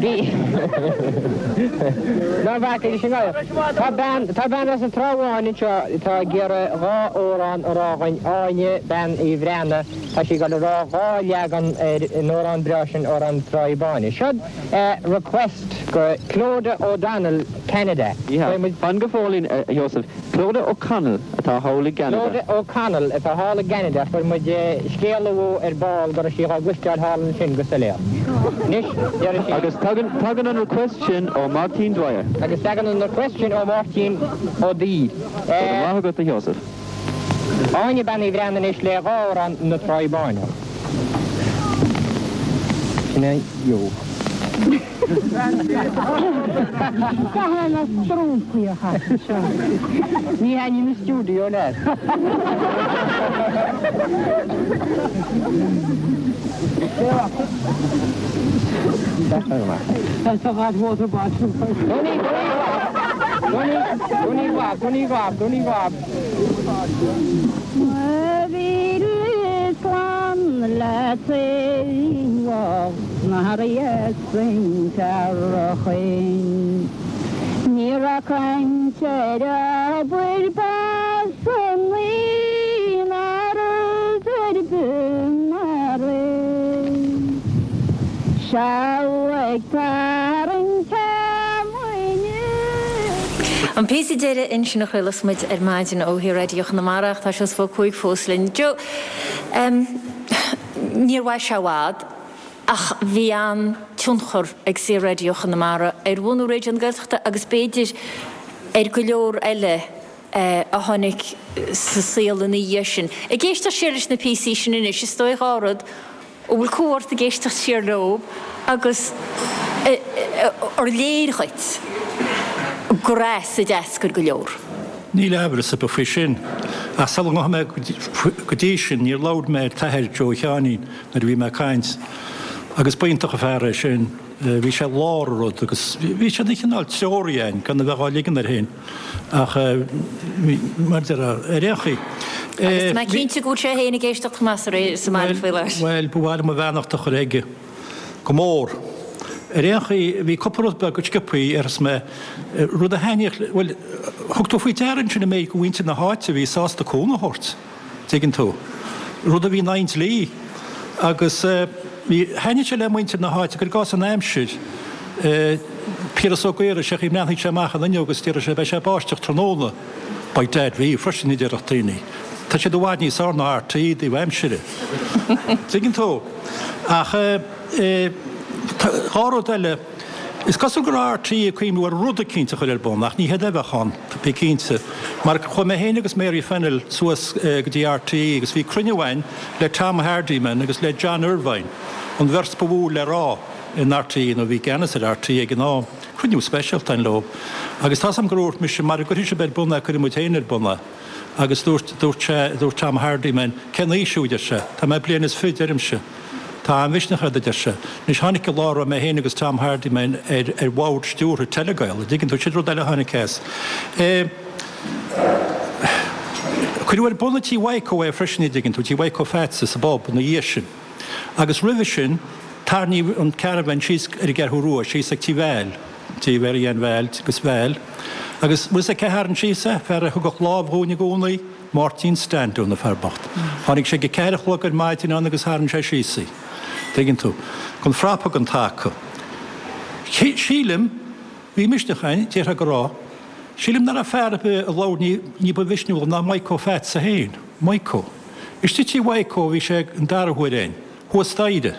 S9: bhí, ná bhfaca leis an ngadhar. Tá bean, tá bean as an Trá Bháin anseo atá ag iarraidh dha amhrán a rá dhuinn, Áine Bean Uí Bhreathnaigh, tá sí ag dul a rá dhá leagan ar an amhrán breá sin, Amhrán na Tráighe Báine. Seod request go Clodagh O'Donnell, Canada.
S14: Yeah, fan go fóillín, a Sheosaimh. Clodagh O'Connell atá thall i gCeanada.
S9: Clodagh O'Connell atá thall i gCeanada. Fuair muid scéala uaidh ar ball go raibh sí. sí dhá gcloisteáil thall ansin go soiléir. Anois, déarfaidh sí.
S14: Agus tagann, tagann an request sin ó Máirtín Dwyer.
S9: Agus tagann an request sin ó Mháirtín Ó Duibhir.
S14: Go raibh maith agat, a Sheosaimh.
S9: Áine Bean Uí Bhreathnaigh anois le dha amhrán na Tráighe Báine. Sin é Joe.
S7: Caithfidh na trúmpaí a chaith anseo.
S9: Ní thaitníonn an stiúideo leat.
S7: That's a hot water bottle.
S9: Dúnaí ghlab, dúnaí ghlab, dúnaí ghlab.
S7: Mo mhíle slán le taobh na san Cearchain. Ní raibh caint ar obair pearsanaí ná rud ar bith mar é. Seal ag tarraingt feamainne.
S1: An píosa deiridh ansin a chraolas muid ar maidin ó Shaor-Raidió Chonamara ach tá Seosamh Ó Cuaig fós linn. Joe, níor mhair sé i bhfad ach bhí an-tionchar ag Saor-Raidió Chonamara ar bhunú Raidió na Gaeltachta agus b'fhéidir ar go leor eile a tháinig sa saol ina dhiaidh sin. Ag éisteacht siar leis na píosaí sin anois, is dóigh dhá rud, An bhfuil cumha ort ag éisteacht siar leo agus ar léir dhuit gur as a d'eascair go leor?
S5: Níl amhras ar bith faoi sin. Ach sula ngabhfaidh mé go dtí sin, níor labhair mé ar t'athair, Joe Sheáinín, nuair a bhí mé ag caint. Agus b'iontach an fear é sin. Bhí sé i lár an rud agus bhí sé ina chineál treoraí againn, gan a bheith dhá ligean air féin. Ach mar a déarfá, ar aon chaoi.
S1: Agus tá mé cinnte go bhfuil sé féin ag éisteacht chomh maith sa mbaile faoi láthair.
S5: Bhuel, ba mhaith liom mo bheannacht a chur aige. Go mór. Ar aon chaoi, bhí cúpla rud beag go sciobthaí, arsa mé, rud a thaitníodh, bhuel, thug tú faoi deara ansin an méid de mhuintir na háite a bhí sásta cúnamh a thabhairt. dtuigeann tú. Rud a bhí in aghaidh an dlí. Agus bhí, thaitnigh sé le muintir na háite, cuir i gcás an aimsir, Piaras Ó Gaora, sé an chaoi a mbreathnaíodh sé amach an fhuinneog agus déarfadh sé, beidh sé ag báisteach tráthnóna. By dad, bhí, freisin a déarfadh daoine. Tá siad i bhfad níos fearr ná RTÉ i dtaobh aimsire. Tuigeann tú. Ach dhá rud eile. Is cosúil go raibh RTÉ ag cuimhniú ar rud eicínt a chur ar bun, ach ní hiad a bheadh ann, bí cinnte. Mar chuaigh mé féin agus Mary Fennell suas go dtí RTÉ agus bhí cruinniú againn le Tom Hardiman agus le John Irvine, an bheirt ba mhó le rá in RTÉ, nó a bhí i gceannas ar RTÉ ag an am. Cruinniú speisialta againn leo. Agus tá's agam gur dhúirt mise, mara gcuirfidh sibh ar bun é, cuirfidh muid féin ar bun é. Agus dúirt, dúirt sé, dúirt Tom Hardiman, cén aois thú, a deir sé. Tá mé bliain is fiche, deirimse. Tá an-mhisneach ort, a deir sé. Anois, tháinig an lá a raibh mé féin agus Tom Hardiman ar ar bhord stiúrtha Telegael, an dtuigeann tú, sin rud eile a tháinig as. Cuireadh ar bun i Tí Mhaidhcó é freisin, an dtuigeann tú, Tí Mhaidhcó Pheaits sa bpub ina dhiaidh sin. Agus roimhe sin, tarraingíodh an caravan síos ar an gCeathrú Rua, síos ag Tí Val, Tí Mhary Ann Val agus Val. Agus bhfuil 'fhios a'd cé a tharraing síos é? Fear a thugadh lámh dhúinn i gcónaí. Máirtín Standún, an fear bocht. Tháinig sé ag a ceathair a chlog ar maidin ann agus tharraing sé síos í. Tuigeann tú. Gan frapa gan taca. Sílim, bhí misneach againn, déarfá go raibh. Sílim nach raibh fear ar bith a labhair ní ba mhisniúla ná Maidhcó Pheatsa féin. Maidhcó. Istigh tí Mhaidhcó a bhí sé an dara huair againn. Thuas staighre.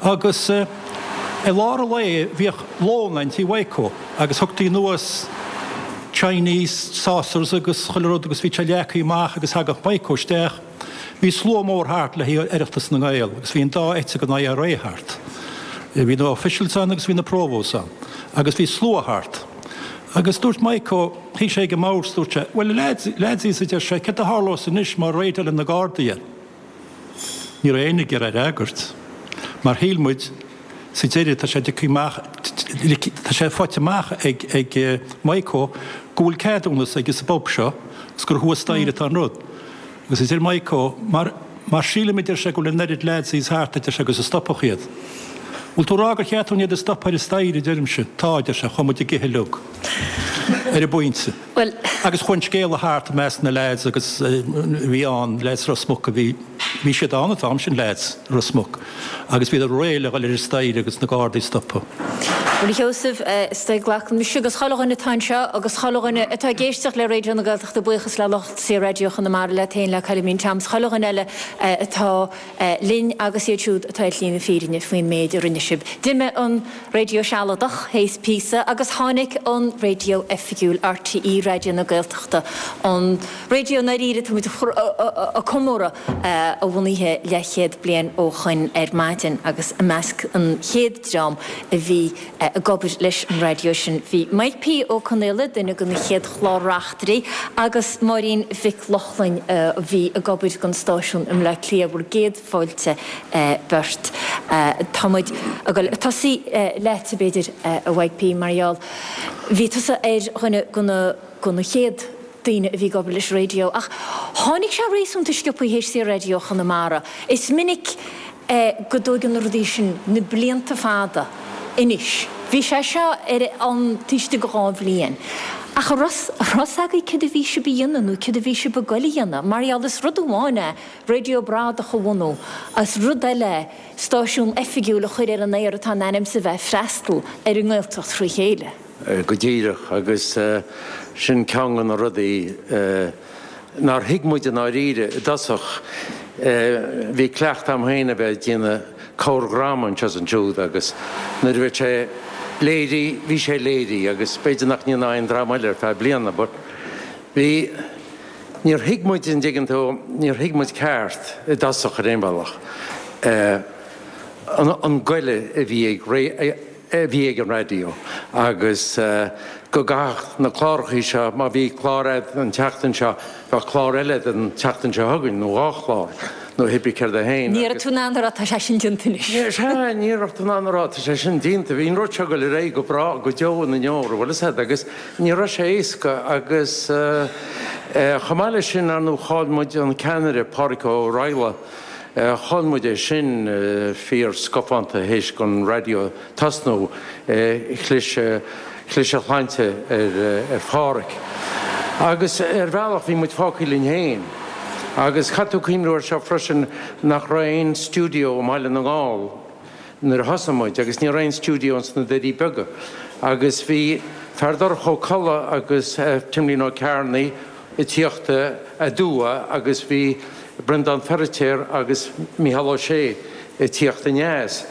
S5: Agus i lár an lae bhíodh lón ann tí Mhaidhcó agus thugtaí anuas Chinese saucers agus chuile rud agus bhí sé leagtha amach agus thagadh Maidhcó isteach. Bhí slua mór thart le haghaidh Oireachtas na nGael agus bhí an dá eite den IRA thart. Bhí na officials ann agus bhí na provos ann. Agus bhí slua thart. Agus dúirt Maidhcó, shuigh sé ag an mbord 's dúirt sé, 'Bhuel a lads, ladsies' a deir sé, 'céard a tharlós anois má raidálann na Gardaí é? Ní raibh éinne ag iarraidh a fhreagairt, mar shíl muid, sa deireadh, tá sé tugtha amach, tá sé faighte amach ag ag Maidhcó go bhfuil ceadúnas aige sa bpub seo agus gur thuas staighre atá an rud. Agus a deir Maidhcó, mar, mar sílim, a deir sé, go bhfuil an oiread ladsies thart, a deir sé, agus a stopfadh iad. Bhfuil tú ag rá gur cheart dúinn iad a stopadh ar an staighre, a deirimse. Tá, a deir sé, chuaigh muid ag ithe uilig. Ar an bpointe.
S1: Bhuel.
S5: Agus chuaigh an scéala thart i measc na leaids agus bhí ann, leaids Ros Muc a bhí, bhí siad ann an t-am sin, leaids Ros Muc, agus bhíodar réidh le dhul ar an staighre agus na Gardaí a stopadh.
S1: Bhuel, a Sheosaimh, is dóigh glacann mise agus chuile dhuine atá anseo agus chuile dhuine atá ag éisteacht le Raidió na Gaeltachta buíochas le lucht Saor-Raidió Chonamara, leat féin, le Coilimín Tom, 's chuile dhuine eile atá linn agus iad siúd atá ar shlí na fírinne faoin méid a rinne sibh. D'imigh an raidió sealadach théis píosa agus tháinig an raidió oifigiúil, RTÉ Raidió na Gaeltachta, an raidió i ndáiríre atá muid ag comóradh a bhunaithe leathchéad bliain ó shoin ar maidin agus i measc an chéad dream a bhí ag obair leis an raidió sin bhí Mike P. Ó Conaola, duine de na chéad chlár-reachtairí, agus Máirín Mhic Lochlainn a bhí ag obair don stáisiún i mBleá Cliath, bhur gcéad fáilte beirt. Tá muid ag dul ag tosaí leat, b'fhéidir, a Mhaidhc P. mar gheall bhí tusa ar dhuine de na de na chéad daoine a bhí ag obair leis an raidió ach tháinig sé réasúnta sciobtha théis Saor-Raidió Chonamara. Is minic go dtóigeann na rudaí sin na blianta fada anois. Bhí sé seo ar an taobh istigh de dha bhliain. Ach an raibh a fhios agaibh céard a bhí sibh a dhéanamh nó céard a bhí sibh ag goil a dhéanamh? Mar gheall is rud amháin é raidió bradach a bhunú, is rud eile é stáisiún oifigiúil a chur ar an aer atá in ainm is a bheith ag freastal ar an nGaeltacht thrí chéile.
S15: Go díreach, agus sin ceann de na rudaí nár thuig muid i ndáiríre i dtosach. Bhí cleachtadh agam féin a bheith ag déanamh corrdhráma anseo is ansiúd agus nuair a bheadh sé léirithe, bhí sé léirithe agus b'fhéidir nach ndéanfá aon dráma eile ar feadh bliana but bhí, níor thuig muid, an dtuigeann tú, níor thuig muid ceart i dtosach ar aon bhealach an goile a bhí ag a bhí ag an raidió agus go gcaithfeadh na clárachaí seo, má bhí clár a'd an tseachtain seo, bheadh clár eile a'd an tseachtain seo chugainn, nó dhá chlár, nó hibí céard é féin
S1: Ní raibh tú in ann a rá tá sé sin déanta anois.
S15: Sea, ní raibh tú in ann a rá tá sé sin déanta. Bhí an rud seo ag dul ar aghaidh go breá, go deo na ndeor, bhfuil fhios a'd, agus ní raibh sé éasca agus chomh maith leis sin, ar ndóigh, chaill muid an ceannaire, Pádraic Ó Raghallaigh, Chaill muid é sin fíor scafánta théis don raidió tosnú. Chlis chlis a shláinte ar Phádhraic. Agus ar bhealach bhí muid fágtha linn féin. Agus caithfidh tú cuimhniú ar seo freisin nach raibh aon stiúideo i mBaile na nGall nuair a thosaigh muid agus ní raibh aon stiúideo ins na Doirí Beaga. Agus bhí Feardorcha Ó Colla agus Timlín Ó Cearnaigh ag tíocht aduaidh agus bhí Breandán Feiritéar agus Mícheál Ó Sé ag tíocht aneas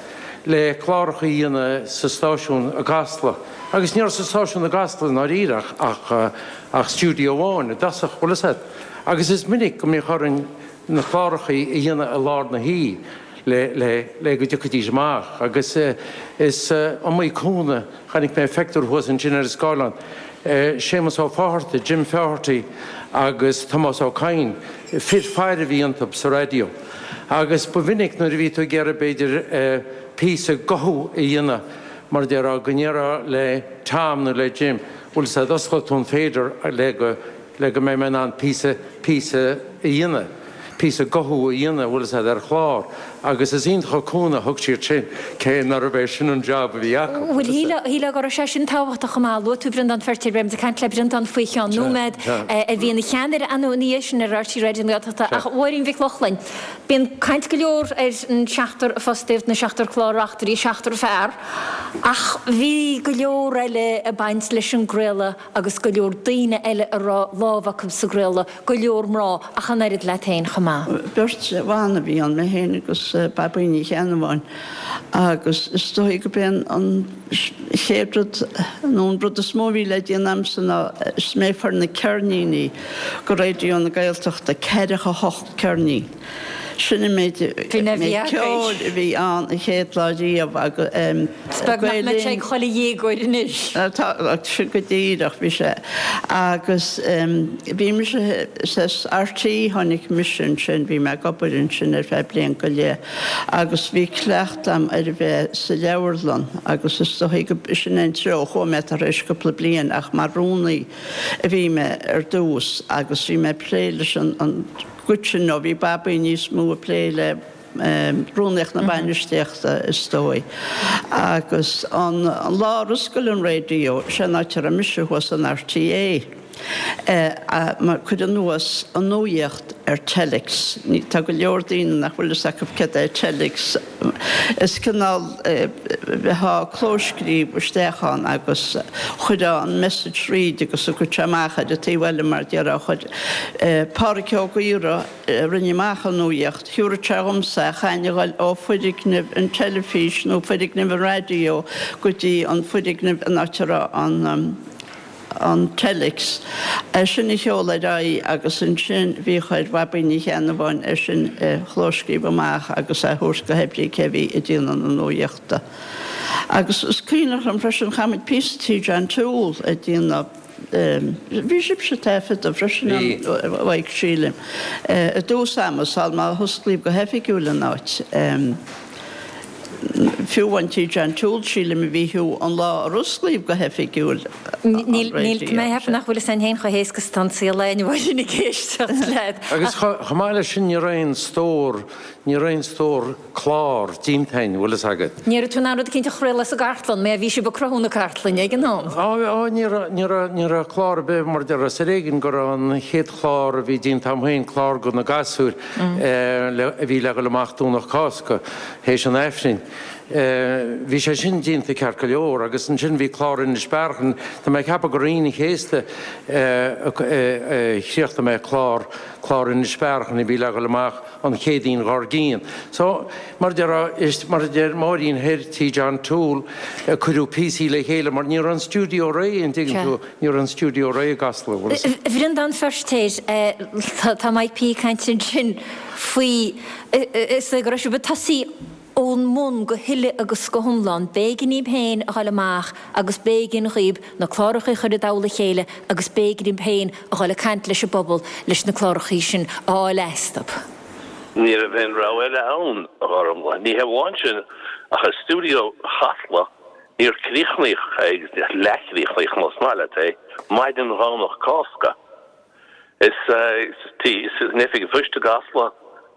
S15: le cláracha a dhéanamh sa stáisiún i gCasla. Agus ní raibh sa stáisiún i gCasla i ndáiríre ach ach stiúideo amháin i dtosach, bhfuil fhios a't. Agus is minic go mbíodh orainn na cláracha a dhéanamh i lár na hoíche le le le go dtiocfaidís amach agus is iomaí cúnamh Chonaic mé phictiúr thuas ansin ar an scáileán. Séamus Ó Fátharta, Jim Faherty agus Tomás Ó Cadhain, fir faire a bhí iontu sa raidió. Agus ba mhinic nuair a bhí tú ag iarraidh b'fhéidir píosa guthú a dhéanamh, mar a déarfá, go ndéarfá le Tom nó le Jim, bhfuil fhios a'd, osclóidh tú an fader le go, le go mbeidh mé in ann píosa, píosa a dhéanamh, píosa guthú a dhéanamh, bhfuil fhios a'd, ar chlár. Agus is iontach an cúnamh a thug siad sin, cé nárbh é sin an job a bhí acu.
S1: Bhuel, shílfeá go raibh sé sin tábhachtach chomh maith. Luaigh tú Breandán Feirtéar, beidh muid ag caint le Breandán faoi cheann nóiméad, a bhí ina cheannaire ina dhiaidh sin ar RTÉ Raidió na Gaeltachta. Ach Mháirín Mhic Lochlainn, bíonn caint go leor ar an seachtar a fostaíodh, na seachtar clár-reachtairí, seachtar fear, ach bhí go leor eile ag baint leis an gcraoladh agus go leor daoine eile a raibh lámh acu sa gcraoladh, go leor mná, ach an oiread leat féin chomh maith.
S16: Beirt bhan a bhí ann, mé féin agus Babaí Ní Cheannabháin, agus is dóigh gurb é an chéad rud, nó an rud is mó a bhí le déanamh a'msa ná is mé a fuair na ceirníní go Raidió na Gaeltachta, ceathracha hocht ceirnín. Sin an méid ceoil a bhí ann an chéad lá riamh agus
S1: Is beag nach mbeadh sé ag chuile dhéagóir anois.
S16: Tá, sin go díreach, bhí sé. Agus bhí mise sa RTÉ, tháinig mise ansin, bhí mé ag obair ansin ar feadh bliain go leith agus bhí cleachtadh a'm ar a bheith sa leabharlann agus is dóigh go, sin é an treo a chuaigh mé tar éis cúpla bliain ach mar rúnaí a bhí mé ar dtús agus bhí mé ag plé leis an gcuid sin nó bhí Babaí níos mó ag plé le rúnaíocht na bainistíochta is dóigh. Agus an lá ar oscail an raidió, sé an áit a raibh mise thuas in RTÉ. Mar cuireadh anuas an nuaíocht ar telex. Tá go leor daoine nach bhfuil fhios acu céard é telex. Is cineál bheifeá ag clóscríobh isteach ann agus chuirfeá an message thríd agus thiocfadh sé amach ar an taobh eile mar déarfá. Chuir Pádhraic Ó Gaora a rinne amach an nuaíocht, thiúrfadh sé dhomsa é, chaithfinn a ghoil ó foirgneamh an teilifís nó foirgneamh an raidió go dtí an foirgneamh an áit a raibh an an telex, é sin a sheoladh ar aghaidh agus ansin bhíodh ar Bhabaí Ní Cheannabháin é sin a chlóscríobh amach agus é a thabhairt go hoibrí cé bhí ag déanamh na nuaíochta. Agus is cuimhneach liom freisin, chaith muid píosa tí John Toole ag déanamh, bhí sibhse ag taifeadadh freisin ann, a Mhaidhc, sílim, i dtús ama, sul má hosclaíodh go hoifigiúil an áit. Fiú amháin tí John Toole, sílim, a bhí thú an lá ar osclaíodh go hoifigiúil
S1: an Níl, níl, tá mé ag ceapadh nach bhfuil fhios a'inn féin chomh héasca is atá an saol a Mháirín ag éisteacht leat.
S15: Agus chomh maith leis sin ní raibh aon stór, ní raibh aon stór clár déanta a'inn, bhfuil fhios agat.
S1: Ní raibh tú in ann rud eicínt a chraoladh sa gcartlann, mar bhí sibh ag cruthú na cartlainne ag an am.
S15: Á, á, ní raibh, ní raibh, ní raibh clár ar bith mar déarfá, is ar éigean go raibh an chéad chlár a bhí déanta a'm féin, clár do na gasúir, a bhí le dhul amach Domhnach Cásca, théis an Aifrinn. Bhí sé sin déanta ceart go leor agus ansin bhí clár Inis Bearachain, tá mé ag ceapadh gur Aoine an Chéasta a chríochnaigh mé clár, clár Inis Bearachain a bhí le dhul amach an Chéadaoin dhár gcionn. So, mar a déarfá, is mar a deir Máirín thoir tí John Toole, cuireadh píosaí le chéile mar ní raibh an stiúideo réidh, an dtuigeann tú, ní raibh an stiúideo réidh i gCasla, bhfuil
S1: fhios. A Bhreandáin Feirtéar, tá Mike P ag caint ansin faoi, is go raibh sibh ag tosaí ón mbun go huile agus go hiomlán. B'éigean daoibh féin a dhul amach agus b'éigean dhaoib na clárachaí a chur i dtoll a chéile agus b'éigean daoib féin a dhul ag caint leis an bpobal leis na clárachaí sin a fháil astub.
S17: Ní raibh aon rogha eile ann, a Ghormfhlaith. Ní hamháin sin, ach i stiúideo Chasla, níor críochnaíodh é, agus leathchríochnaíodh, más maith leat é, maidin Dhomhnach Cásca. Is in Oifig an Phoist i gCasla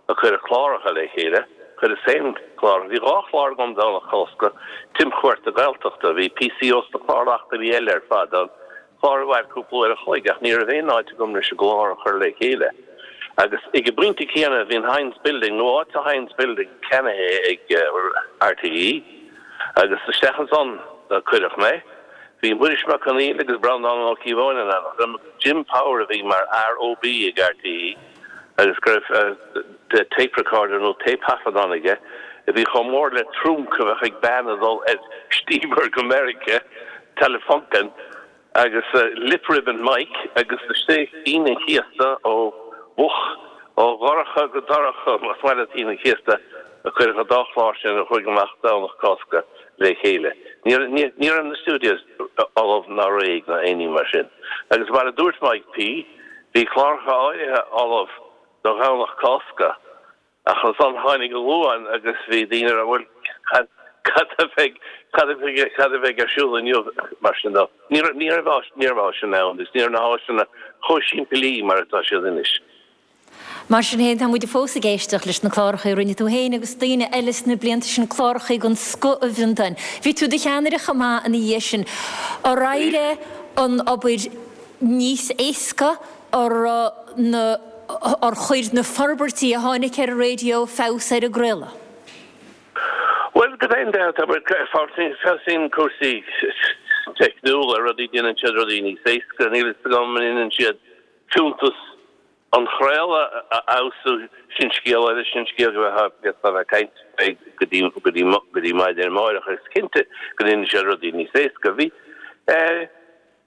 S17: a cuireadh cláracha le chéile. Chuireas féin clár. Bhí 2 chlár agam Domhnach Cásca, Timchuairt na Gaeltachta. Bhí píosaí ós na clár-reachtairí eile ar fad ann. Clár a mhair cúpla uair a chloig ach ní raibh aon áit agam leis an gclár a chur le chéile. Agus ag an bpointe céanna bhí an Hynes Building, nó áit sa Hynes Building ceannaithe ag RTÉ agus isteach ansan a cuireadh mé. Bhí Muiris Mac Conghail agus Breandán Ó Cíobháin in éineacht liom agus Jim Power a bhí mar fhear OB ag RTÉ agus go raibh tape recorder nó téipthaifeadán aige a bhí chomh mór le trunc a bheadh ag bean ag dul ar steamer go Meiriceá, Telefunken, agus lip ribbon mic agus istigh Aoine an Chéasta ó mhoch, ó dhorcha go dorcha, más maith leat Aoine an Chéasta, a cuireadh an dá chlár sin a chuaigh amach Domhnach Cásca le chéile. Ní raibh na studios ullamh ná réidh ná aon ní mar sin. Agus mar a dúirt Mike P. bhí cláracha áirithe ullamh do Dhomhnach Cásca ach ansan tháinig an Luan agus bhí daoine ag rá bhuel cad a bheidh, cad a bheidh, cad a bheidh ar siúl inniu mar sin de. Ní raibh, ní raibh, ní raibh áiseanna ann agus ní raibh na háiseanna chomh simplí mar atá siad anois.
S1: Mar sin féin, tá muid fós ag éisteacht leis na cláracha a rinne tú féin agus daoine eile sna blianta sin, cláracha den scoth, a Bhreandáin. Bhí tú i do cheannaire chomh maith ina dhiaidh sin. Ar éirigh an obair níos éasca? Ar na, ar chuir na forbairtí a tháinig ar an raidió feabhas ar an gcraoladh?
S17: Bhuel, gan dabht, feabhsaíonn cúrsaí teicniúla, rudaí, déanann siad rudaí níos éasca. Níl a fhios agam an ndéanann siad fiúntas an chraoladh a fheabhsú, sin scéal eile, sin scéal go bhféadfá a bheith ag caint faoi go dtí, go dtí, go dtí maidin amárach. Is cinnte go ndéanann sé rudaí níos éasca. Bhí, eh,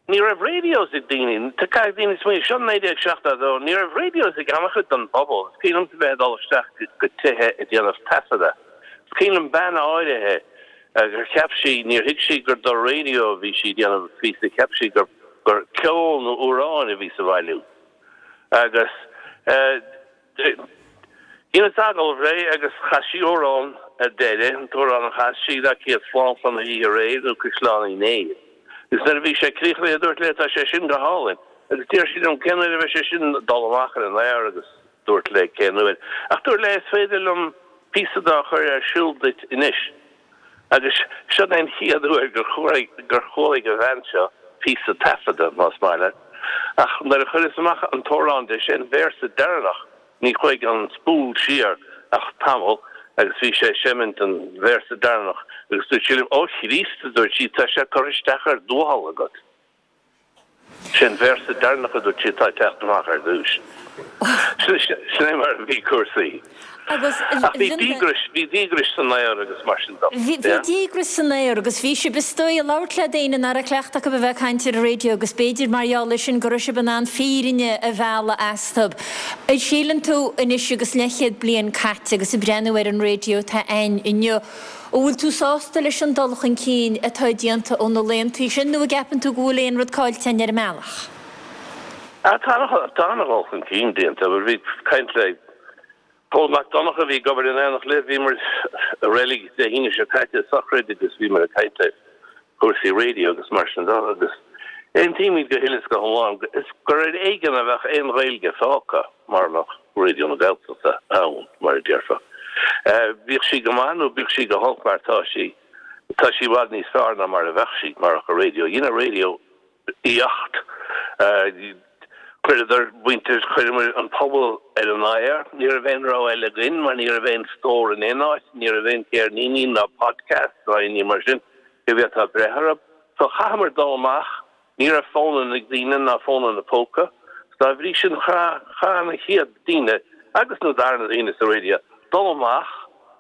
S17: ní raibh radios ag daoine, caithfidh daoine smaoineamh, seo 1972, ní raibh radios ag an-chuid den bpobal. Is cuimhin liomsa bheith ag dul isteach go tithe ag déanamh taifeadadh. Is cuimhin liom bean áirithe gur cheap sí, níor thuig sí gur do raidió a bhí sí ag déanamh píosa, cheap sí gur, gur ceol nó amhráin a bhí sa bhailiú. Agus dheineas agallamh léi agus chas sí amhrán ar deireadh, an t-amhrán a chas sí ná Céad Slán Chlann Uí aréir nó Caisleán Uí Néill. Agus nuair a bhí sé críochnaithe dúirt léi tá sé sin go hálainn. Agus d'iarr sí liom cén uair a bheidh sé sin dul amach ar an aer agus dúirt léi cén uair. Ach dúirt léi is féidir liom píosa de a chur ar siúl duit anois. Agus sin é an chéad uair gur chualaigh an bhean seo píosa taifeadta, más maith leat. Ach nuair a chuireas amach an t-amhrán de, sé an véarsa deireanach, ní chuaigh an spool siar ach tamall agus bhí sé ag seimint an véarsa deireanach agus dúirt sí liom, Ó Chríost, a dúirt sí, tá sé curtha isteach ar d'uathal agat. Sé an véarsa deireanach a dúirt sí atá ag teacht amach ar dtúis. Sin é mar a bhí cúrsaí.
S1: Agus
S17: Ach bhí díograis, bhí díograis san aer agus mar sin de.
S1: Bhí díograis san aer agus bhí sibh is dóigh ag labhairt le daoine nach raibh cleachtadh acu a bheith ag caint ar an raidió agus b'fhéidir mar gheall air sin go raibh sibh in ann fírinne a mhealladh astu. An síleann tú anois agus leathchéad bliain caite agus ag breathnú ar an raidió atá ann inniu, An bhfuil tú sásta leis an dul chun cinn atá déanta ó na laethantaí sin nó an gceapann tú go bhfuil aon rud caillte againn ar an mbealach?
S17: Tá an-dhul chun cinn déanta. Bhí caint le Pól Mac Donncha a bhí ag obair in éineacht libh, bhíomar i reilig Dé hAoine seo caite i sochraid agus bhíomar ag caint ar chúrsaí raidió agus mar sin de agus aontaímid go huile is go hiomlán is gur ar éigean a bheadh aon Ghaeilge fágtha mara mbeadh Raidió na Gaeltachta ann, mar a déarfá. Bíodh sí go maith nó bíodh sí go holc mar tá sí, tá sí i bhfad níos fearr ná mar a bheadh sí marach an raidió. Dhein an raidió éacht. Chuireadar muintir, chuireamar an pobal ar an aer. Ní raibh aon rogha eile againn mar ní raibh aon stór in aon áit, ní raibh aon chéirníní ná podcast ná aon ní mar sin go bhféadfá breith orthu. So chaitheamar dul amach Ní raibh fónanna ag daoine ná fónanna póca. Dá bhrí sin chaith na chéad daoine agus na darna daoine sa raidió dul amach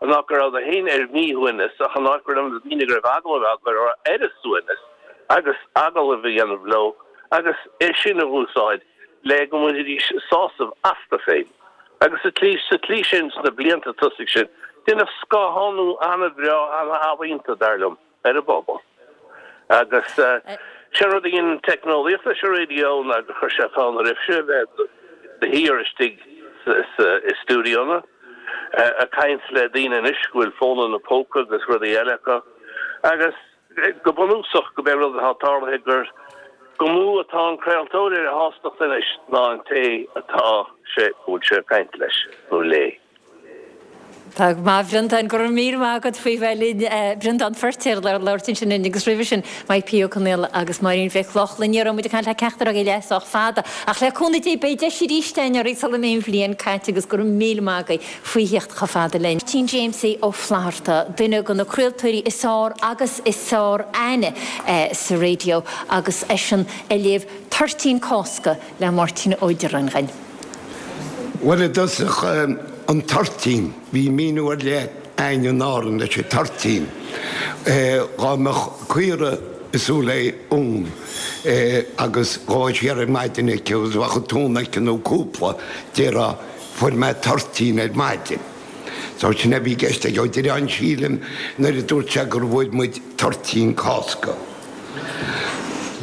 S17: in áit go rabhadar féin ar míshuaimhneas ach in áit go raibh na daoine go raibh agallamh á gcur orthu ar a suaimhneas agus agallamh a dhéanamh leo agus é sin a dh'úsáid le go mbainfidís sásamh astu féin. Agus sa tslí sa tslí sin sna blianta tosaigh sin deineadh scáthánú ana-bhreá ana-ealaíonta dar liom. ar an bpobal. Agus sé an rud a dhein an teicneolaíocht leis an raidió ná gur chuir sé fonn oraibhse a bheith de shíor istigh i stiúideonna ag caint le daoine anois go bhfuil fónanna póca agus rudaí eile acu agus go bunúsach go b'é an rud atá tarlaithe gur go mó atá an craoltóir ar a shástacht anois ná an té atá sé go bhfuil sé ag caint leis nó léi.
S1: Tá go maith, a Bhreandáin. Go raibh míle maith agat faoi bheith linn. Breandán Feirtéar ag labhairt ansin linn agus roimhe sin Mike P. Ó Conaola agus Máirín Mhic Lochlainn. Ní raibh muid ag caint le ceachtar agaibh le sách fada ach le cúnamh Dé beidh deis arís againn oraibh sula mbeidh an bhliain caite agus go raibh míle maith agaibh faoi theacht chomh fada linn. Máirtín Jaimsie Ó Flatharta, duine de na craoltóirí is fearr agus is fearr aithne sa raidió agus eisean ag léamh Toirtín Cásca le Máirtín Ó Direáin dhúinn.
S18: Bhuel, i dtosach, an toirtín, bhí míniú ar leith a'inn in Árainn leis an toirtín. Dhá mbeadh caora ag súil le uan agus dhá siar ar maidin aici agus bheadh an t-uan aici nó cúpla, déarfá, fuair mé toirtín ar maidin. So sin a bhí i gceist ag Ó Direáin sílim nuair a dúirt sé gur bhfuair muid toirtín Cásca.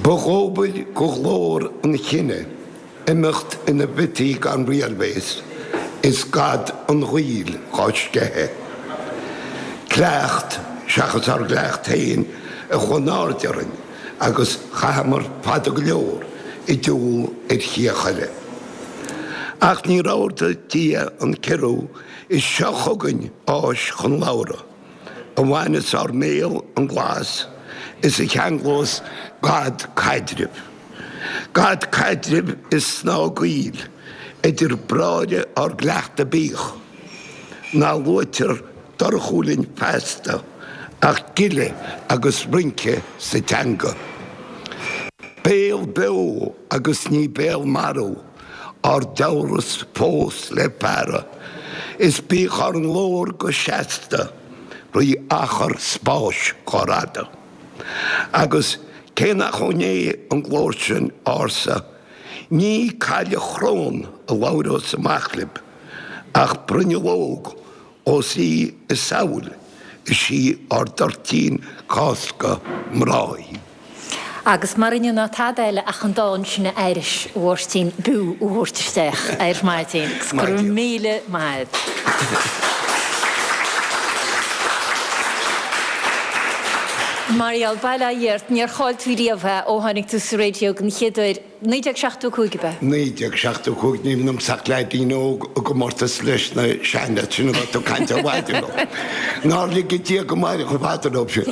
S18: Ba dhóbair go ghlór an chine. Imeacht ina bhiotaí gan riailbhéas is gad an ghuail dhá sceitheadh. Cleacht seachas ár gcleacht féin a chuaigh in airde orainn agus chaitheamar fada go leor i dtiúl ar chíoch eile. Ach níor ordaigh Dia an ciorrú is seo chugainn áis chun labhartha a bhaineas ár mbéal an glas is a cheanglós gad caidrimh. Gad caidrimh is snáth gaoil idir bráithre ár gcleachta bíodh ná luaitear dorchú linn feasta ach gile agus rince sa teanga. Béal beo agus ní béal marbh ár dtabhras fós le fearadh is bíodh ár nglór go seasta rí achar spáis dhá radadh. Agus cé nach ó Ndé an glór sin ársa, ní cailleach chrón a labhrós amach libh, ach bruinneall óg, ós í is samhail is í ár dtoirtín Cásca mná í.
S1: Agus mar inniu ná tada eile ach an dán sin a aithris, a Mháirtín, b'fhiú a thabhairt isteach ar maidin. Agus go raibh míle maith agat. Mar gheall, bail ó Dhia ort, níor chaill tú riamh é ó tháinig tú sa raidió den chéad uair, 1975 ab ea?
S18: 1975, níl ionamsa ach leaidín óg i gcomórtas leis na seanleaids sin a raibh tú ag caint ar mhaidin leo. Nár lige Dia go mairfeadh chomh fada leo sin.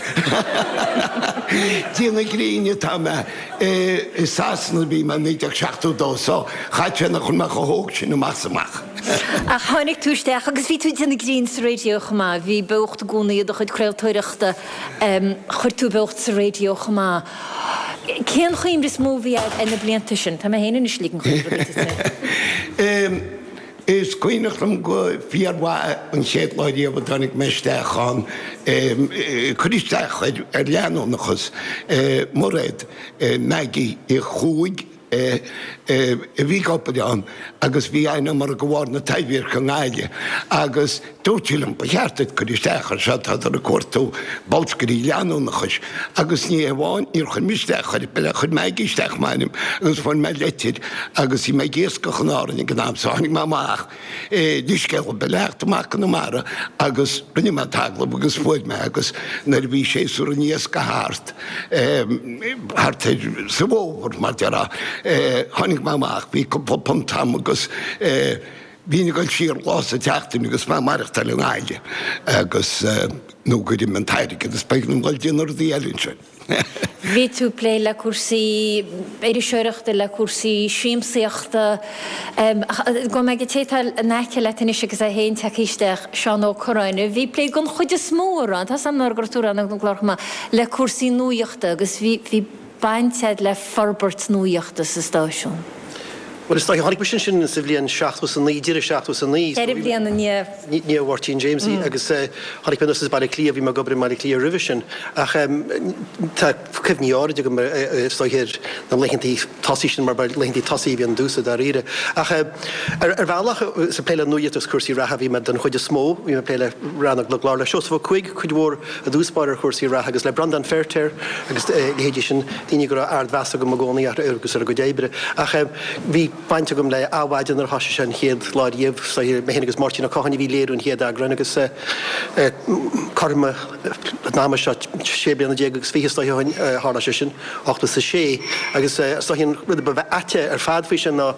S18: Dia na gréine atá mé. I Sasana a bhí mé i 1972 so chaithfeadh sé nach bhfuil mé chomh hóg sin amach is amach.
S1: Ach tháinig tú isteach agus bhí tú ag déanamh grinn sa raidió chomh maith. Bhí beocht i gcónaí i do chuid craoltóireachta. Chuir tú beocht sa raidió chomh maith. Cén chuimhne is mó a bhí agat ar na blianta sin? Tá mé féin anois ag ligean chuig rudaí duit.
S18: Is cuimhneach liom go fíormhaith an chéad lá riamh a dtáinig mé isteach ann, cur isteach ar leanúnachas, Mairéad, Maggie Uí Chuaig a bhí ag obair ann agus bhí aithne agam uirthi de bharr na Taibhdheirce i nGaillimh agus dúirt sí liom, ba cheart duit cur isteach air seo, tádar ag cuartú bolscairí leanúnachais agus ní hamháin, níor chuir mise isteach air, chuir Maggie isteach m'ainm agus fuair mé leitir agus bhí mé ag iascach in Árainn ag an am so tháinig mé amach leithscéal ar bith le theacht amach go Conamara agus rinne mé an t-agallamh agus fuair mé agus nuair a bhí séasúr an iascaigh thart, thart ar sa bhfómhar mar déarfá, tháinig mé amach, bhí cúpla punt agam agus bhínn ag dul siar lá sa tseachtain agus mé ag maireachtáil i nGaillimh agus nó gur imigh an t-airgead agus b'éigean dom dul déanamh rudaí eile ansin.
S1: Bhí tú ag plé le cúrsaí iriseoireachta, le cúrsaí siamsaíochta. Gabhfaidh mé ag an té atá in aice leat anois agus é féin tagtha isteach, Seán Ó Curráin, a bhí ag plé den chuid is mó, a rá, tá 's agam go raibh tú ag rá na gclár chomh maith, le cúrsaí nuachta agus bhí, bhí baint agat le forbairt nuachta sa stáisiún.
S19: Bhuel, is dóiche, tháinig mise ansin sa bhliain 79, deireadh 79.
S1: Ceithre bliana i ndiaidh.
S19: ndiaidh Mháirtín Jamesie agus tháinig mé anuas as Baile Átha Cliath, bhí mé ag obair i mBaile Átha Cliath roimhe sin. Ach tá cuimhní áirid agam is dóiche ar na laethantaí tosaigh sin mar ba laethantaí tosaigh a bhí ann domhsa dáiríre. Ach ar bhealach is ag plé le nuaíocht agus cúrsaí reatha a bhí mé den chuid is mó, bhí mé ag plé le rannóg na gclár le Seosamh Ó Cuaig cuid mhór i dtús báire ar chúrsaí reatha agus le Breandán Feirtéar agus leithéidí sin, daoine go raibh ardmheas agam i gcónaí orthu agus ar a gcuid oibre. Ach bhí baint agam le Adhmhaidin nuair a thosaigh sé an chéad lá riamh, is dóiche, mé féin agus Máirtín Ó Catháin a bhí ag léiriú an chéad eagráin agus cothrom an ama seo, sé bliana déag agus fiche is dóiche ó shin a tharla sé sin, 86, agus is dóiche an rud a ba aite ar fad faoi sin ná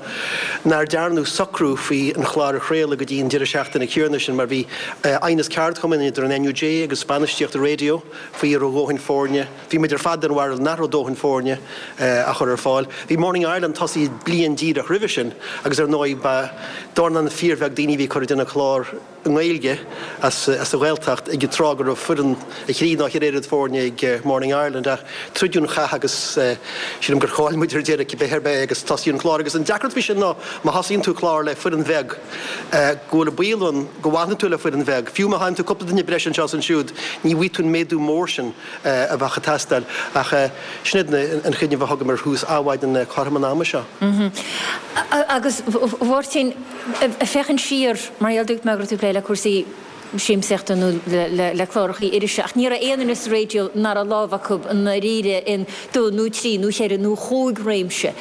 S19: nár dearnadh socrú faoi an chlár a chraoladh go dtí an deireadh seachtaine céanna sin mar bhí aighneas ceardchumainn idir an NUJ agus bainistíocht an raidió faoi an raibh a dhóthain foirne Bhí muid ar fad den bharúil nach raibh dóthain foirne á chur ar fáil. Bhí Morning Ireland tosaithe bliain díreach roimhe sin agus ar ndóigh ba dornán fíorbheag daoine a bhí ag cur ag déanamh clár i nGaeilge as an Ghaeltacht ag an tráth go raibh foireann a thrí nó a cheithre oiread foirne ag Morning Ireland ach troideadh an chath agus sílim gur chaill muid ar deireadh cibé ar bith agus tosaíodh an clár agus an deacracht faoi sin ná má thosaíonn tú clár le foireann bheag go bhfuil an baol ann go bhfanfaidh tú le foireann bheag fiú má fhaigheann tú cúpla duine breise anseo is ansiúd ní bhfaighidh tú an méadú mór sin a bheadh ag teastáil. Ach sin iad an chuimhneamh a thugaim ar thús Adhmhaidin cothrom an ama seo.
S1: Agus a Mháirtín, ag féachaint siar, mar gheall dúirt mé go raibh tú ag plé le cúrsaí siamsaíochta nó le clárachaí irise, ach ní raibh aon duine sa raidió nach raibh lámh acu i ndáiríre in dó nó trí nó cheithre nó chúig réimse.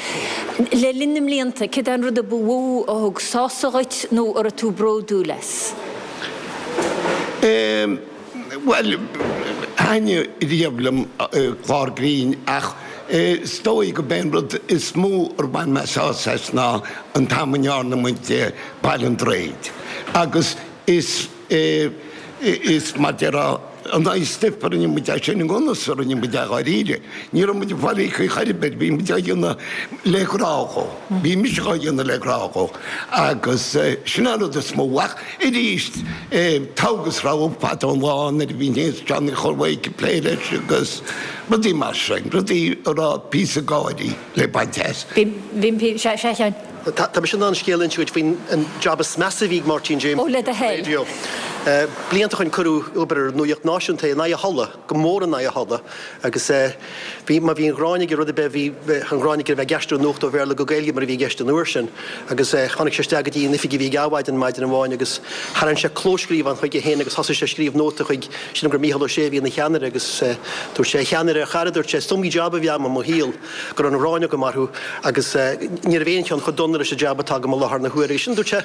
S1: Le linn na mblianta, céard é an rud a ba mhó a thug sásamh dhuit nó a raibh tú bródúil as?
S18: Bhuel, thaitnigh riamh liom clár grinn ach is dóigh go b'é an rud is mó ar bhain mé sásamh as ná an t-am a ndearna muid Baile an Droichid agus is is mar déarfá an aghaidh stuif a rinne muid é sin i ngan fhios a rinne muid é dháiríre. Ní raibh muid ag fáil íoctha chor ar bith, bhí muid á dhéanamh le grá dhó. Bhí mise á dhéanamh le grá dhó agus sin an rud is mó ach Arís, togha agus rogha fada an lá nuair a bhí níos Johnny Chormaic ag plé leis agus rudaí mar sin, rudaí a raibh píosa gáirí le baint as.
S1: Bhí, sea, a Sheáin.
S19: Tá mise in ann scéal a inse duit faoin an jab is measa a bhí ag Máirtín James
S1: Ó, le do thoil.
S19: Radio. Blianta ó shin cuireadh ag obair ar nuaíocht náisiúnta é in aghaidh a thola, go mór in aghaidh a thola, agus bhí, má bhí an ghráin aige rud ar bith, bhí an ghráin aige a bheith ag aistriú nuacht ó Bhéarla go Gaeilge mar a bhí i gceist an uair sin. Agus tháinig sé isteach go dtí an oifig a bhí ag Adhmhaidin maidin amháin agus tharraing sé clóscríobhán chuige féin agus thosaigh sé ag scríobh nóta chuig, sílim gur Mícheál Ó Sé a bhí ina cheannaire agus dúirt sé, a cheannaire, a chara, dúirt sé, is iomaí jab a bhí agam i mo shaol go raibh an ghráin agam orthu agus ní raibh aon cheann chomh dona leis an jab atá agam i láthair na huaire. Agus sin, dúirt sé,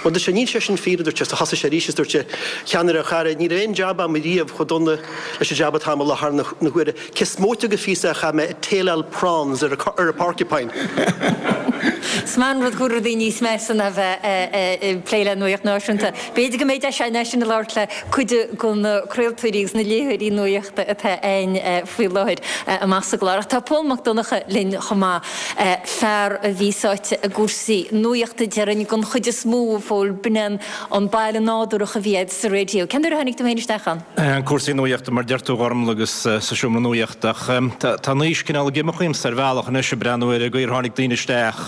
S19: bhuel, dúirt sé, níl sé sin fíor, a dúirt sé, so thosaigh sé arís is dúirt sé, a cheannaire, a chara, ní raibh aon jab agam riamh chomh dona leis an jab atá agam i láthair na huaire. Cé is móite de phíosa a chaith mé ag taileáil prawns ar a porcupine.
S1: Is maith an rud go bhfuil rudaí níos measa ná bheith ag plé le nuaíocht náisiúnta. B'fhéidir go mbeidh deis againn ansin a labhairt le cuid de na craoltóirí agus na léitheoirí nuaíochta atá againn faoi láthair amach sa gclár. Ach tá Pól Mac Donncha linn chomh maith, fear a bhí sáite i gcúrsaí nuaíochta déarfainn den chuid is mó, a Phóil, b'in é an baile nádúrach a bhí agat sa raidió. Cén uair a tháinig tú féin isteach ann?
S20: Cúrsaí nuaíochta mar deir tú a Ghormlaith agus sa seomra nuaíochta ach tá an aois cineál ag imeacht uaimse ar bhealach anois ag breathnú ar an gcaoi ar tháinig daoine isteach.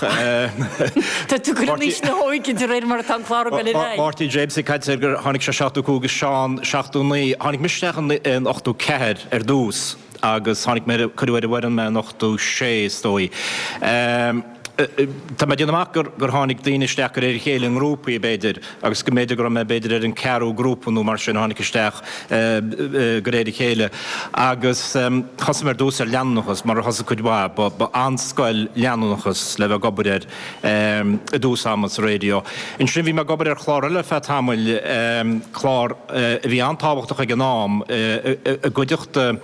S1: Tá tú ag cur in aois na hóige de réir mar atá an clár ag dul ar aghaidh.
S20: Máirtín James ag caint ar gur tháinig sé 75 agus Seán 79. Tháinig mise isteach in 84 ar dtús agus tháinig mé, cuireadh ar an bhfoireann mé in 86 is dóigh. Tá mé ag déanamh amach gur tháinig daoine isteach de réir a chéile i ngrúpaí, b'fhéidir, agus go mb'fhéidir go raibh mé b'fhéidir ar an ceathrú grúpa nó mar sin a tháinig isteach de réir a chéile. Agus thosaigh mé ar dtús ar leanúnachas, mar a thosaigh cuid mhaith. Ba an-scoil leanúnachas le bheith ag obair air i dtús ama sa raidió. Ansin bhí mé ag obair ar chlár eile ar feadh tamaill, clár a bhí an-tábhachtach ag an am, i gcuideachta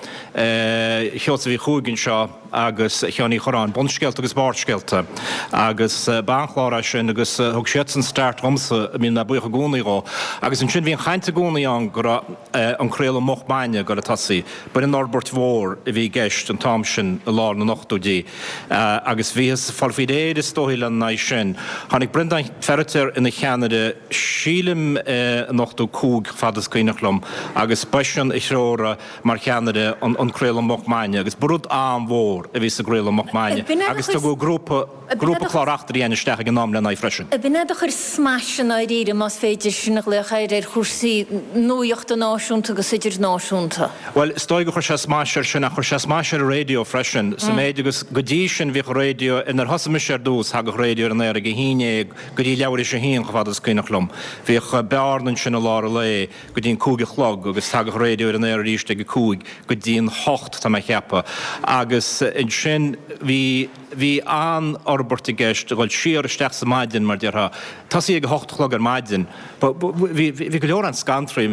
S20: Sheosaimh Uí Chuaig anseo, agus Sheáin Uí Chorráin, Bunscéalta agus Barrscéalta, agus ba an-chlár é sin agus thug siadsan start dhomsa, a mbíonn mé buíoch i gcónaí dhó. Agus ansin bhí an chaint i gcónaí ann go raibh an craoladh moch maidne ag dul a tosaí. B'in an fhorbairt mhór a bhí i gceist an t-am sin i lár na n-ochtóidí agus bhíothas ag fáil faoi réir is dóigh lena aghaidh sin. Tháinig Breandán Feiritéar ina cheannaire sílim in 85 fad is cuimhneach liom agus b'eisean a threoraigh mar cheannaire an craoladh moch maidne agus ba rud an-mhór a bhí sa gcraoladh moch maidne agus tugadh grúpa grúpa clár eachtraí isteach ag an am lena aghaidh freisin.
S1: B'in é do chuir smais i ndáiríre, más féidir sin a ghlaoch air, ar chúrsaí nuachta náisiúnta agus idirnáisiúnta.
S20: Bhuel, is dóigh gur chuir sé smais air sin ach chuir sé smais ar an raidió freisin, sa méid agus go dtí sin bhíodh an raidió, nuair a thosaigh mise ar dtús, thagadh raidió ar an aer ag a haon dhéag go dtí leathuair théis a haon chomh fada is cuimhneach liom. Bhíodh bearna ansin i lár an lae. go dtí an 5 a chlog agus thagadh raidió ar an aer arís ag a 5 go dtí an 8 tá mé a cheapadh agus ansin bhí bhí an-fhorbairt i gceist a dhul siar isteach sa maidin mar déarfá tosaí ag a 8 a chlog ar maidin bhí bhí go leor an-scantraí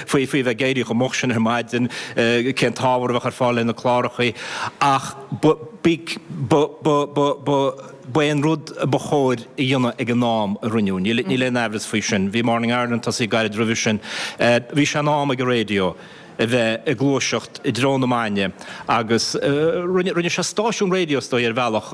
S20: faoi faoi bheith ag éirí chomh moch sin ar maidin cén t-ábhar a bheadh ar fáil le na clárachaí ach ba ba ba ba ba Ba é an rud a ba chóir a dhéanamh ag an am a rinneadh, níl aon aimhreas faoi sin. Bhí Morning Ireland tosaithe gairid roimhe sin. Bhí sé in am ag an raidió a bheith ag gluaiseacht i dtreo na maidne agus rinne sé stáisiún raidió is dóigh ar bhealach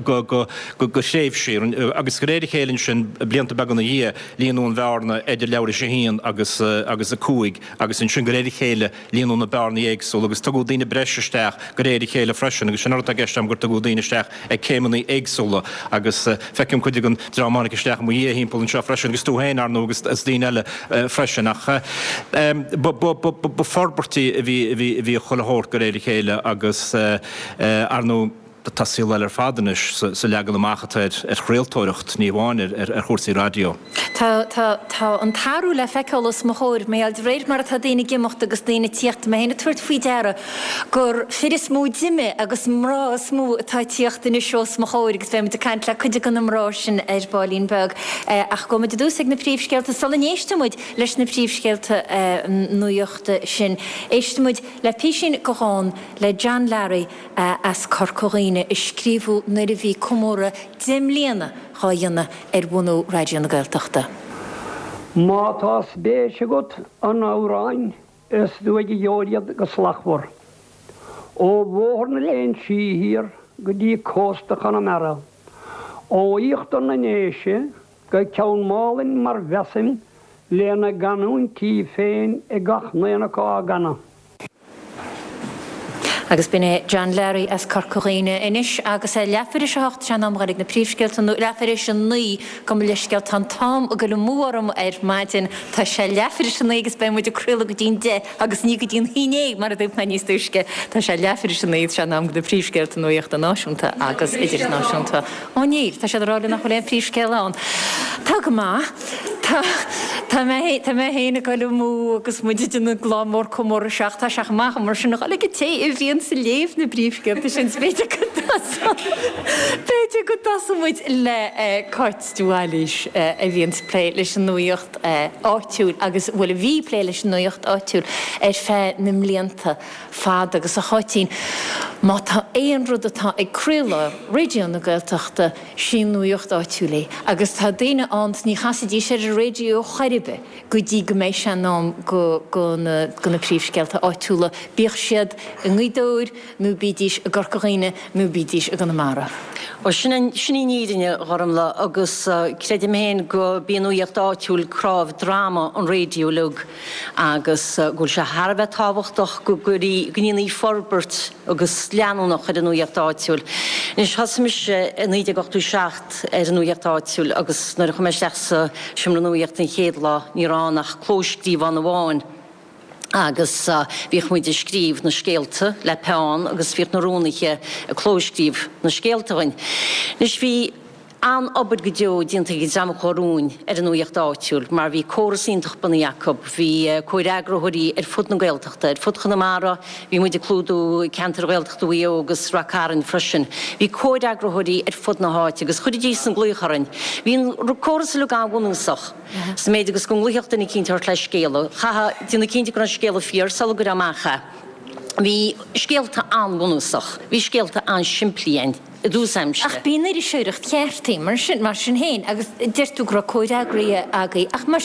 S20: go thréimhsí agus de réir a chéile ansin blianta beaga ina dhiaidh líonadh an bhearna idir leathuair théis a haon agus agus a 5 agus ansin de réir a chéile líonadh na bearnaí éagsúla agus tugadh daoine breise isteach de réir a chéile freisin agus sin an rud atá i gceist agam gur tugadh daoine isteach ag céimeanna éagsúla agus feicim cuid den dream a tháinig isteach i mo dhiaidh thimpeall anseo freisin agus tú féin, ar ndóigh, agus daoine eile freisin ach ba forbairtí a bhí a bhí a bhí chuile shórt de réir a chéile agus ar ndóigh tá saol eile ar fad anois sa leagan amach atá ar chraoltóireacht, ní amháin ar chúrsaí raidió.
S1: Tá, tá, tá an t-athrú le feiceáil os mo chomhair, mar gheall de réir mar atá daoine ag imeacht agus daoine ag tíocht, tá mé féin ag tabhairt faoi deara gur fir is mó d'imigh agus mná is mó atá ag tíocht anois os mo chomhair agus beidh muid ag caint le cuid de na mná sin ar baillín beag. Ach gabhfaidh muid i dtús ag na príomhscéalta sula n-éistfidh muid leis na príomhscéalta nuachta sin. Éistfidh muid le písín de dhán le John Larry as Corca Dhuibhne a scríobhadh nuair a bhí comóradh 10 mbliana dhá dhéanamh ar bhunú Raidió na Gaeltachta.
S21: Má tá spéis agat in amhráin is uaidh a gheobhair iad go slachtmhar. Ó Bhóthar na Léinsí thiar go dtí cósta Chonamara, ó íochtar na nDéise go Ceann Málainn mar mheasaim lena gcanúintí féin ag gach n-aon acu á gcanadh.
S1: Agus b'in é John Larry as Corca Dhuibhne anois agus é leathuair théis a hocht, sé an am a dhul ag na príomhscéalta, nó leathuair théis a naoi, gabh mo leithscéal, tá an t-am ag dul amú orm ar maidin, tá sé leathuair théis a naoi agus beidh muid ag craoladh go dtí'n deich agus ní go dtí'n haon dhéag mar a dúirt mé níos túisce. Tá sé leathuair théis a naoi, sé an am do na príomhscéalta nuachta náisiúnta agus idirnáisiúnta. Ó níl, tá siad ag rá liom nach bhfuil aon phríomhscéal ann. Tá go maith. Tá, tá mé, tá mé féin ag goil amú agus muid ag déanamh lá mór comórtha seo ach tá sé chomh maith mar sin a dhul ag an té a bhíonns ag léamh na bpríomhscéalta sin. B'fhéidir go dtosódh, b'fhéidir go dtosóidh muid le Cáit de Bhailís a bhíonns ag plé leis an nuaíocht áitiúil agus, bhuel a bhí ag plé leis an nuaíocht áitiúil ar feadh na mblianta. fada agus a Cháitín. Má tá aon rud atá ag croílár Raidió na Gaeltachta, sí an nuaíocht áitiúil é. Agus tá daoine ann 's ní chasfaidís ar an raidió chor ar bith go dtí go mbeidh sé in am go go na go na príomhscéalta áitiúla, bíodh siad i nGaoth Dobhair nó bídís i gCorca Dhuibhne nó bídís i gConamara.
S2: Ó, sin an, sin í an fhírinne, a Ghormlaith, agus creidim féin go b'í an nuaíocht áitiúil cnámh droma an raidió uilig agus go bhfuil sé thar a bheith tábhachtach go gcuirí, go ndéanfaí forbairt agus leanúnach ar an nuaíocht áitiúil. Anois, thosaigh mise i 1987 ar an nuaíocht áitiúil agus nuair a chuaigh mé isteach sa seomra nuaíochta an chéad lá, ní raibh ann ach clóscríobhán amháin agus bhíodh muid ag scríobh na scéalta le peann agus bhíodh na rúnaithe ag clóscríobh na scéalta dhuinn. Anois, bhí. An-obair go deo déanta ag an dream a chuaigh romhainn ar an nuaíocht áitiúil mar bhí córas iontach bunaithe acu. Bhí comhfhreagraitheoirí ar fud na Gaeltachta, ar fud Chonamara, bhí muid ag clúdú ceantair Ghaeltachta Mhaigh Eo agus Rath Cairn freisin. Bhí comhfhreagraitheoirí ar fud na háite agus chuiridís an glaoch orainn. Bhí an córas uilig an-bhunúsach sa méid agus go nglaofadh duine eicínt ort le scéala. Chaithfeá déanamh cinnte go raibh an scéala fíor sula gcuirfeá amach é. Bhí scéalta an-bhunúsach, bhí scéalta an-simplí ann. i dtús aimsire.
S1: Ach b'í an iriseoireacht cheart í, mar sin, mar sin féin, agus deir tú go raibh comhfhreagraithe agaibh, ach mar,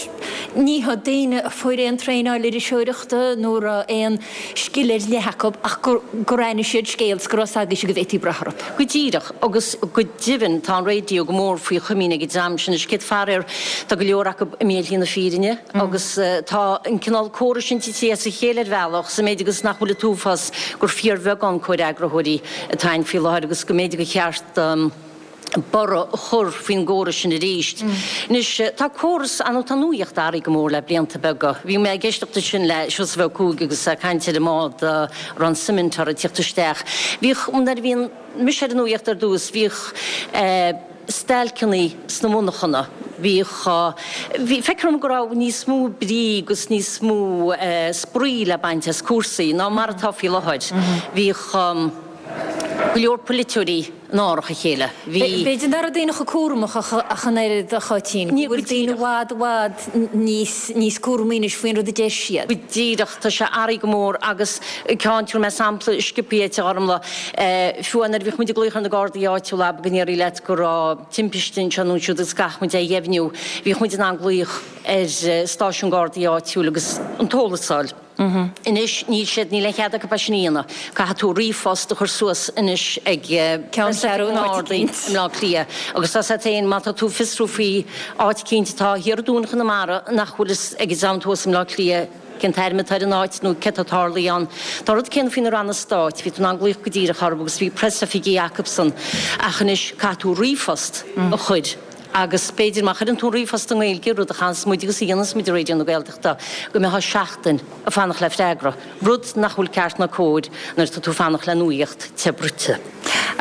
S1: ní hiad daoine a fuair aon traenáil iriseoireachta nó a raibh aon scil ar leith acu ach gur, gur aithnigh siad scéal 's go raibh 's agaibhse go bhféadfaí brath orthu.
S2: Go díreach, agus go deimhin tá an raidió go mór faoi chomaoin ag an dream sin, is céad faraor tá go leor acu imithe ar shlí na fírinne agus tá an cineál córais sin tite as a chéile ar bhealach, sa méid agus nach bhfuil an t-uafás gur fíorbheagán comhfhreagraitheoirí atá ann faoi láthair agus go mb'fhéidir gur cheart borradh a chur faoin gcóras sin arís. Anois, tá córas, nó tá nuaíocht athraithe go mór le blianta beaga. Bhí mé ag éisteacht ansin le Seosamh Ó Cuaig agus é ag caint ar an mbád a raibh an suimint orthu ag tíocht isteach. Bhíodh, nuair a bhí mise ar an nuaíocht ar dtús, bhíodh eh, stailceanna sna monarchana. Bhíodh, bhí, feictear dom go raibh níos mó brí agus níos mó spraoi le baint as cúrsaí ná mar atá faoi láthair. Bhíodh go leor polaiteoirí in árach a chéile. Bhí.
S1: B'fhéidir nach raibh daoine chomh cúramach ach an oiread, a Cháitín, go bhfuil daoine i bhfad, i bhfad níos, níos cúramaí anois faoin rud a deir siad.
S2: Go díreach, tá sé athraithe go mór agus ceann, tabharfaidh mé sampla sciobtha dhuit, a Ghormlaith. Fiú amháin nuair a bhíodh muid ag glaoch ar na Gardaí áitiúla, abair go ndéarfaí leat go raibh timpiste anseo nó ansiúd agus go gcaithfeadh muid é a dheimhniú, bhíodh muid in ann glaoch ar stáisiún Gardaí áitiúil agus an t-eolas a fháil. Anois níl siad, níl aon chead acu é sin a dhéanamh. Caithfidh tú ríomhphost a chur suas anois ag
S1: Ceanncheathrú
S2: na nGardaí i mBleá Cliath. Agus tá 's a't féin, má tá tú ag fiosrú faoi áit eicínt atá thiar i dTuaim Chonamara nach bhfuil fhios ag an dream thuas i mBleá Cliath, cén t-ainm atá ar an áit nó céard atá tarlaithe ann. Tá an rud céanna faoi na ranna stáit, bhí tú in ann glaoch go díreach orthu agus bhí preasoifigí acubsan ach anois caithfidh tú ríomhphost a chur agus b'fhéidir má chuireann tú an ríomhphost i nGaeilge, rud a chaitheanns muid agus a dhéananns muid i Raidió na Gaeltachta, go mbeifeá seachtain ag fanacht le freagra, rud nach bhfuil ceart ná cóir nuair atá tú ag fanacht le nuaíocht te bruite.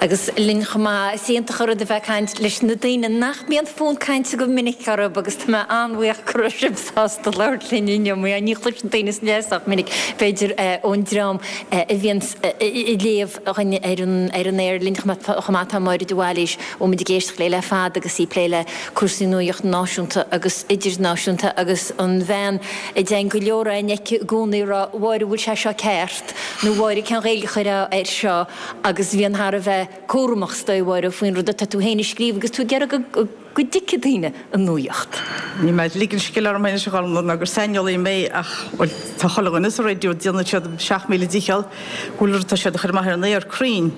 S1: Agus linn chomh maith, is iontach an rud a bheith ag caint leis na daoine nach mbíonn fonn cainte go minic orthu agus tá mé an-bhuíoch go raibh sibh sásta labhairt linn inniu mar ní chloiseann daoine san sách minic, b'fhéidir, ón dream a bhíonn ag léamh dhuinn ar an ar an aer linn chomh maith tá Máire de Bhailís, a bhfuil muid ag éisteacht léi le fada agus í ag plé le cúrsaí nuaíocht náisiúnta agus idirnáisiúnta agus an bhean a dtéann go leor againn aici i gcónaí ag rá, a Mháire, bhfuil sé seo ceart nó a Mháire cén Ghaeilge a chuirfeá air seo? Agus bhíonn thar a bheith cúramach is dóigh, a Mháire, faoin rud atá tú féin a scríobh agus tú ag iarraidh go dtuigfidh daoine an nuaíocht.
S22: Níl mé ag ligean scil orm anois a Ghormlaith ná gur saineolaí mé ach, bhuel, tá chuile dhuine sa raidió, déanann siad a 7000 dícheall go bhfuil rud atá siad a chur amach ar an aer cruinn.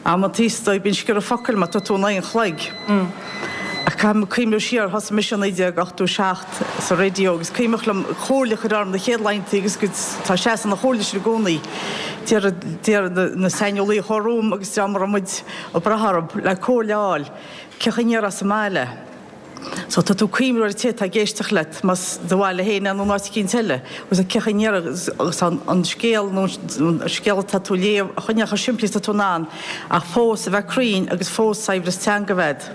S22: Amantaí is dóigh bíonn sciorradh focail má tá tú in aghaidh an chloig. Ach caithfidh mé cuimhneamh siar, thosaigh mise i 1987 sa raidió agus cuimhneach liom comhairle a chur orm na chéad laethanta agus go tá seasamh na chomhairle sin i gcónaí. Deir deir na saineolaí a chuaigh romham agus dream a raibh muid ag brath orthu le comhairle a fháil, cén chaoi a ndéarfá sa mbaile. So tá tú ag cuimhneamh ar an té atá ag éisteacht leat, más do bhaile féin é nó in áit eicínt eile, agus cén chaoi a ndéarfá agus an scéal nó an scéal atá tú a léamh a choinneáil chomh simplí is atá tú in ann ach fós a bheith cruinn agus fós saibhreas teanga a bheith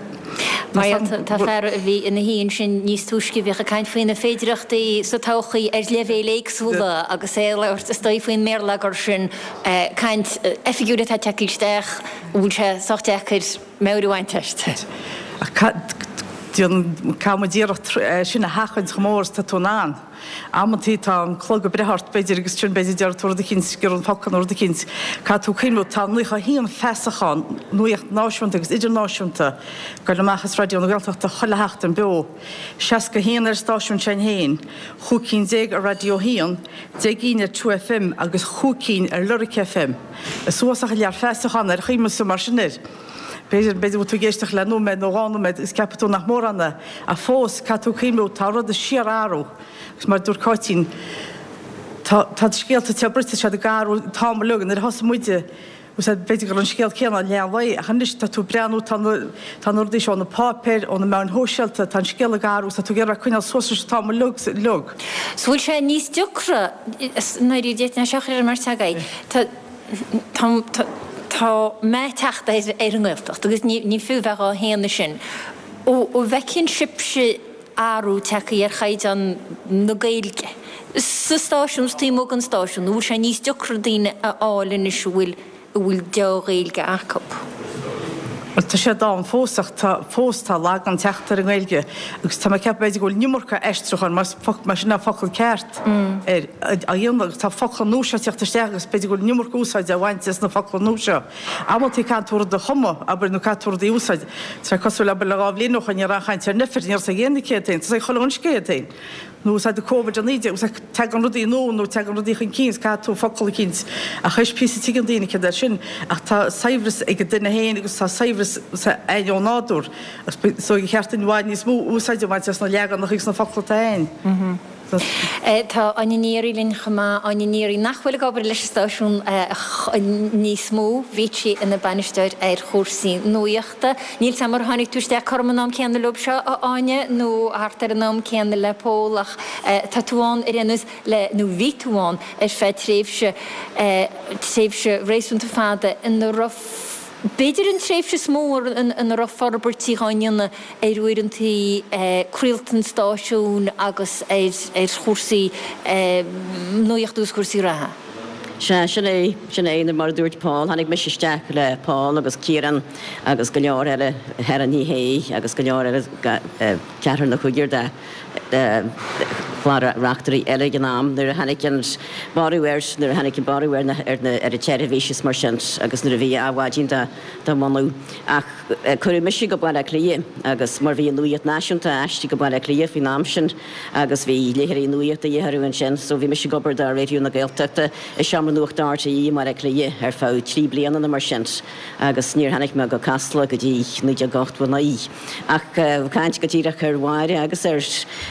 S22: agat.
S1: Mar tá fear a bhí ina shuí ansin níos túisce a bhíodh ag caint faoi na féidireachtaí sa todhchaí ar leibhéil éagsúla agus é ag labhairt is dóigh faoin mbéarlagair sin, caint oifigiúil atá tagtha isteach, an bhfuil sé sách deacair meabhair a bhaint aisti.
S22: Ach. Déanann, caithfidh muid iarracht sin a sheachaint chomh mór is atá tú in ann. Amantaí tá an clog ag breith ort, b'fhéidir, agus sin b'fhéidir déarfaidh tú rud eicínt, sciorrann focal nó rud eicínt. Caithfidh tú cuimhniú, tá 91 feasachán, nuaíocht náisiúnta agus idirnáisiúnta, ag goil amach as Raidió na Gaeltachta chuile sheachtain beo. 61 ar an stáisiún sin féin, chúig cinn déag ar Raidió 1, 10 gcinn ar 2FM agus chúig cinn ar Lyric FM. Is uafásach an lear feasachán ar chuimhneamh mar sin air. B'fhéidir, b'fhéidir go bhfuil tú ag éisteacht le nóiméad nó dhá nóiméad agus ceapfaidh tú nach mórán é, ach fós, caithfidh tú cuimhniú, tá rudaí síorathrú. Agus mar a dúirt Cáitín, tá, tá scéalta te bruite, siad ag athrú an t-am uilig. Nuair a thosaigh muide, b'fhéidir go raibh an scéal céanna i leath an lae, ach anois tá tú ag breathnú, tá na, tá na rudaí seo ó na páipéir, ó na meáin shóisialta, tá an scéal ag athrú agus tá tú ag iarraidh coinneáil suas leis an t-am uilig, uilig.
S1: So bhfuil sé níos deacra, nuair a d'fhéadfainn é seo a chur ar an mbeirt agaibh, tá, Tá, tá meath ag teacht ar ar an nGaeltacht agus ní, ní fiú bheith dhá shéanadh sin. Ó, ó bhfeiceann sibhse athrú tagtha ar chaighdeán na Gaeilge sa stáisiún is taobh amuigh den stáisiún, an bhfuil sé níos deacra daoine a fháil anois a bhfuil, a bhfuil deá-Ghaeilge acu?
S22: Bhuel, tá sé ann fós ach tá, fós tá lagán ag teacht ar an nGaeilge agus tá mé ag ceapadh b'fhéidir go bhfuil an iomarca aistriúcháin, más, más sin an focal ceart air, á dhéanamh agus tá focla nua seo ag teacht isteach agus b'fhéidir go bhfuil an iomarca úsáide á bhaint as na focla nua seo. Amantaí caithfidh tú rud a chumadh, abair, nó caithfidh tú rudaí a úsáid. Tá sé cosúil, abair, le dhá bhliain ó shoin ní raibh aon chaint ar an uimhir, ní raibh a fhios ag éinne céard é, tá a fhios ag chuile dhuine céard é. Nó úsáid Covid-19, úsáid, tagann rudaí nua nó tagann rudaí chun cinn is caithfidh tú focal eicínt a chois píosa tuigeann daoine céard é sin ach tá saibhreas ag an duine féin agus tá saibhreas againn ó nádúr agus is dóigh gur cheart dúinn i bhfad níos mó úsáid a bhaint as na leaganacha agus na focla atá againn.
S1: Tá Áine Ní Fhearraigh linn chomh maith, Áine Ní Fhearraigh nach bhfuil ag obair leis an stáisiún níos mó, bhí sí ina bainisteoir ar chúrsaí nuaíochta. Níl 's a'm ar tháinig tú isteach cothrom an am céanna leob seo, a Áine, nó thart ar an am céanna le Pól ach tá tú ann ar aon nós le, nó bhí tú ann ar feadh tréimhse, tréimhse réasúnta fada ina raibh, b'fhéidir an tréimhse is mó ina raibh forbairtí dhá ndéanamh ar uaireantaí craolta an stáisiúin agus ar, ar chúrsaí nuachta agus cúrsaí reatha.
S4: Sea, sin é, sin é, mar a dúirt Paul, tháinig mise isteach le Paul agus Ciarán agus go leor eile, Helen Ní Shé agus go leor eile, ceathrar nó cúigear de chlár reachtairí eile ag an am nuair a tháinig an borradh air, nuair a tháinig an borradh ar na, ar na, ar an tseirbhís is mar sin agus nuair a bhí Adhmhaidin dá, dá mbunú. Ach cuireadh mise go Baile Átha Cliath agus mar bhí an Nuacht Náisiúnta aistrithe go Baile Átha Cliath faoin am sin agus bhí léitheoirí nuachta de dhíth orthu ansin so bhí mise ag obair do Raidió na Gaeltachta i Seomra Nuachta RTÉ i mBaile Átha Cliath ar feadh trí bliana nó mar sin agus níor tháinig mé go Casla go dtí 1989. Ach caint go díreach ar Mháire agus ar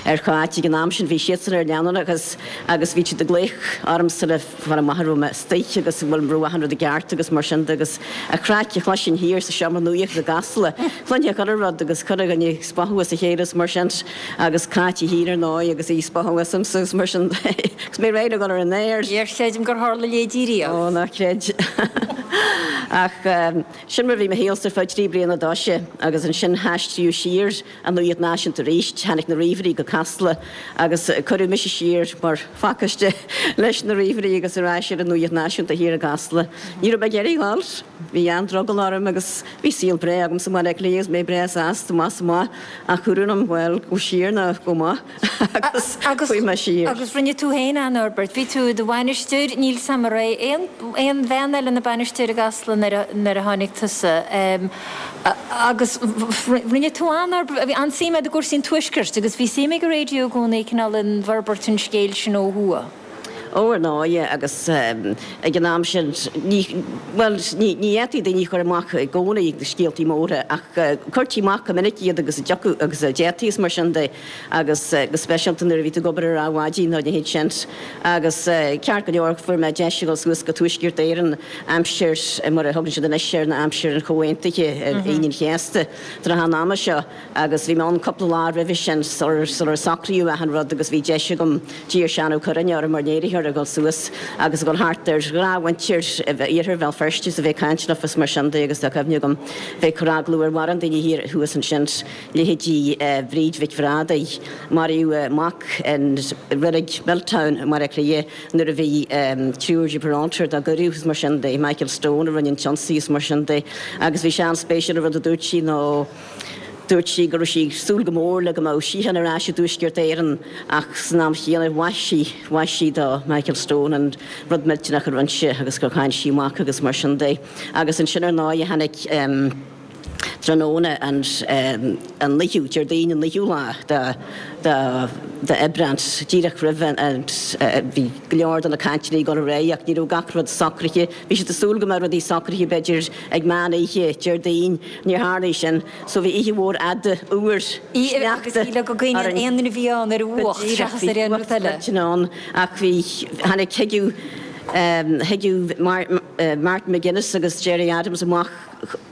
S4: ar Cháit ag an am sin bhí siadsan ar leanúnachas agus bhí siad ag glaoch ormsa le fáil amach an raibh mé istigh agus an bhfuil raibh achan rud i gceart agus mar sin de agus an chraic a chloisinn thiar sa seomra nuachta i gCasla, chluinfeá chuile rud agus chuile dhuine ag spochadh as a chéile is mar sin agus Cáit í féin ar ndóigh agus í ag spochadh asamsa agus mar sin de agus mé réidh le dhul ar an aer.
S1: Níor chreidim gur tharla a leithéidí riamh.
S4: Ó, ná creid. Ach sin mar a bhí mo shaolsa ar feadh trí bliana d'fhoise agus ansin haistríodh siar an Nuacht Náisiúnta arís, tháinig na ríomhairí go Casla agus cuireadh mise siar mar phacáiste leis na ríomhairí agus ar ais ar an Nuacht Náisiúnta thiar i gCasla. Ní raibh mé ag iarraidh dhul. Bhí an-drogall orm agus bhí saol breá agamsa i mBaile Átha Cliath agus mé breá sásta, amach is amach, ach dúradh liom, bhuel, gabh siar nó gabh amach agus chuaigh mé siar.
S1: Agus rinne tú féin an-fhorbairt. Bhí tú i do bhainisteoir, níl 's a'm an raibh aon aon bhean eile ina bainisteoir i gCasla nuair a nuair a tháinig tusa. Agus rinne tú an-fhorbairt, bhí an-suim agat i gcúrsaí an Tuaiscirt agus bhí suim ag an raidió i gcónaí cineál in bhforbairt an scéil sin ó thuaidh.
S4: Ó, ar ndóigh, agus ag an am sin, ní, bhuel, ní, ní fhéadfaí daoine a chur amach i gcónaí na scéaltaí móra ach chuirtí amach go minic iad agus a dtiocfadh agus a d'fhéadfaí is mar sin de agus go speisialta nuair a bhí tú ag obair ar Adhmhaidin nó a leithéid sin. Agus ceart go leor, fuair mé deis a dhul suas go Tuaisceart Éireann aimsir, mar a thugann siad anois air, ná aimsir an Chomhaontaithe ar Aoine an Chéasta, trátha an ama seo agus bhí mé ann cúpla lá roimhe sin sular socraíodh achan rud agus bhí deis agam, d'iarr Seán Ó Cuirreáin orm mar léiritheoir a dhul suas agus a dhul thart ar ghnáthmhuintir iarthar Bhéal Feirste is a bheith ag caint leofa is mar sin de agus tá cuimhne agam bheith ag cur agallamh ar mhórán daoine thiar thuas ansin, leithéidí Bhríd Mhic Bhrádaigh, maraíodh a mac in reilig Milltown i mBaile Átha Cliath. Nuair a bhí triúr Gibraltar dá gcuireadh is mar sin de, Michael Stone a rinne an t-ionsaí is mar sin de agus bhí sé an-spéisiúil an rud a dúirt sí nó. Dúirt sí go raibh sí ag súil go mór le go mbeadh síocháin ar ais i dTuaisceart Éireann ach san am chéanna mhaith sí, mhaith sí do Michael Stone an rud millteanach a rinne sé agus gur cháin sí a mac agus mar sin de. Agus ansin ar ndóigh tháinig tráthnóna an an naoú, Déardaoin an naoú lá de de de Aibreán, díreach roimh an, bhí go leor de na cainteanna ag dul ar aghaidh ach ní raibh gach rud socraithe. Bhí siad ag súil go mbeadh rudaí socraithe b'fhéidir ag meán oíche Déardaoin, níor tharlaigh sin. So bhí oíche mhór fhada fhuar
S1: sneachta Agus go gcuimhníonn aon duine a bhí ann ar an bhfuacht seachas ar aon rud eile.
S4: Bhí ann ach bhí, tháinig, thigeadh, thigeadh Martin McGuinness agus Gerry Adams amach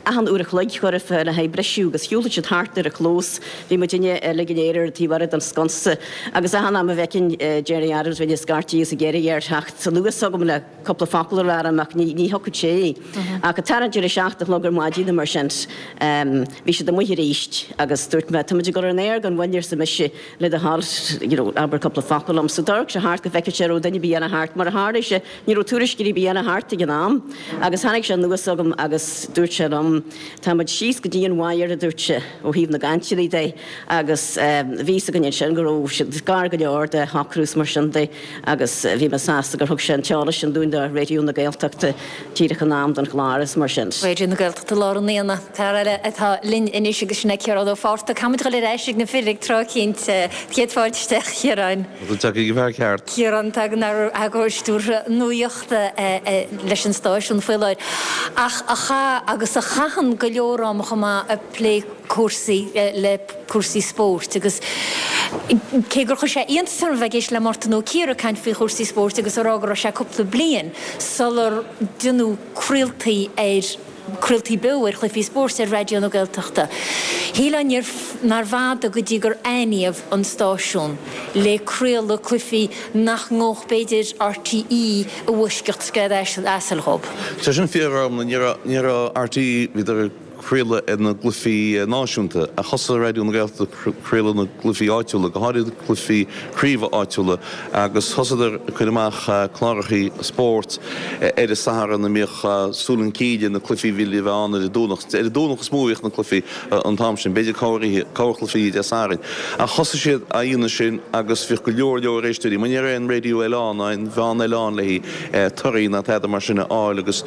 S4: achan uair a chloig chóir a bheith le haghaidh briseadh agus shiúlfadh siad thart ar an chlós. Bhí muidinne uilig go léir ar an taobh eile den sconsa agus achan am a bhfeicfinn Gerry Adams bheinn ag scairtigh is ag iarraidh air theacht anuas chugam le cúpla focal a rá liom ach ní thiocfadh sé. Ach ag tarraingt ar a 7 a chlog ar maidin nó mar sin bhí siad amuigh arís agus dúirt mé 'táimid ag dul ar an aer gan mhoill' arsa mise 'le do thoil you know abair cúpla focal liom'. So d'amharc sé thart go bhfeicfeadh sé an raibh duine ar bith eile thart. Mar a tharlaigh sé ní raibh tuairisceoir ar bith eile thart ag an am agus tháinig sé anuas chugam agus dúirt sé liom 'táimid síos go dtí an wire' a dúirt sé 'ó thaobh na gcainteanna de' agus bhí fhios againn ansin go raibh siad gar go leor de shocrú is mar sin de. Agus bhí mé sásta gur thug sé an t-eolas sin dúinn do Raidió na Gaeltachta díreach in am don chlár is mar sin.
S1: Raidió na Gaeltachta lár an aonaigh. Fear eile atá linn anois agus sin é Ciarán Ó Fátharta. Caithfimid dul ar ais ag na fir ag tráth eicínt. Céad fáilte isteach, a Chiaráin.
S3: Tá tú tagtha ag an bhfear ceart.
S1: Ciarán, tagann eagarthóir stiúrtha nuachta leis an stáisiún faoi láthair ach a chaith agus a chaitheann go leor ama chomh maith ag plé cúrsaí le cúrsaí spóirt agus cé gur chuir sé iontas orm a bheith ag éisteacht le Mártan Ó Ciardha ag caint faoi chúrsaí spóirt agus ag rá go raibh sé cúpla bliain sular deineadh craoltaí ar craoltaí beo ar chluichí spóirt ar Raidió na Gaeltachta. Shílfeá nárbh fhada go dtí gur aithníodh an stáisiún le craoladh cluichí nach ngabhadh b'fhéidir RTÉ i bhfoisceacht scread asail dhób.
S3: Tá sin fíor, a Ghormfhlaith, ní raibh RTÉ, bhíodar ag craoladh ar na gcluichí náisiúnta, ach thosaigh Raidió na Gaeltachta ag craoladh na gcluichí áitiúla, go háirid cluichí craoibhe áitiúla, agus thosaíodar ag cur amach clárachaí spóirt ar an Satharn a mbíodh súil chun cinn ar na cluichí a bhí le bheith ann ar an Domhnach. Ar an Domhnach is mó a bhíodh na cluichí an t-am sin, b'fhéidir corrchluichí Dé Sathairn. Ach thosaigh siad á dhéanamh sin agus bhíodh go leor leor éisteoirí, mar ní raibh aon raidió eile ann, ná aon mheán eile ann le torthaí ná tada mar sin a fháil agus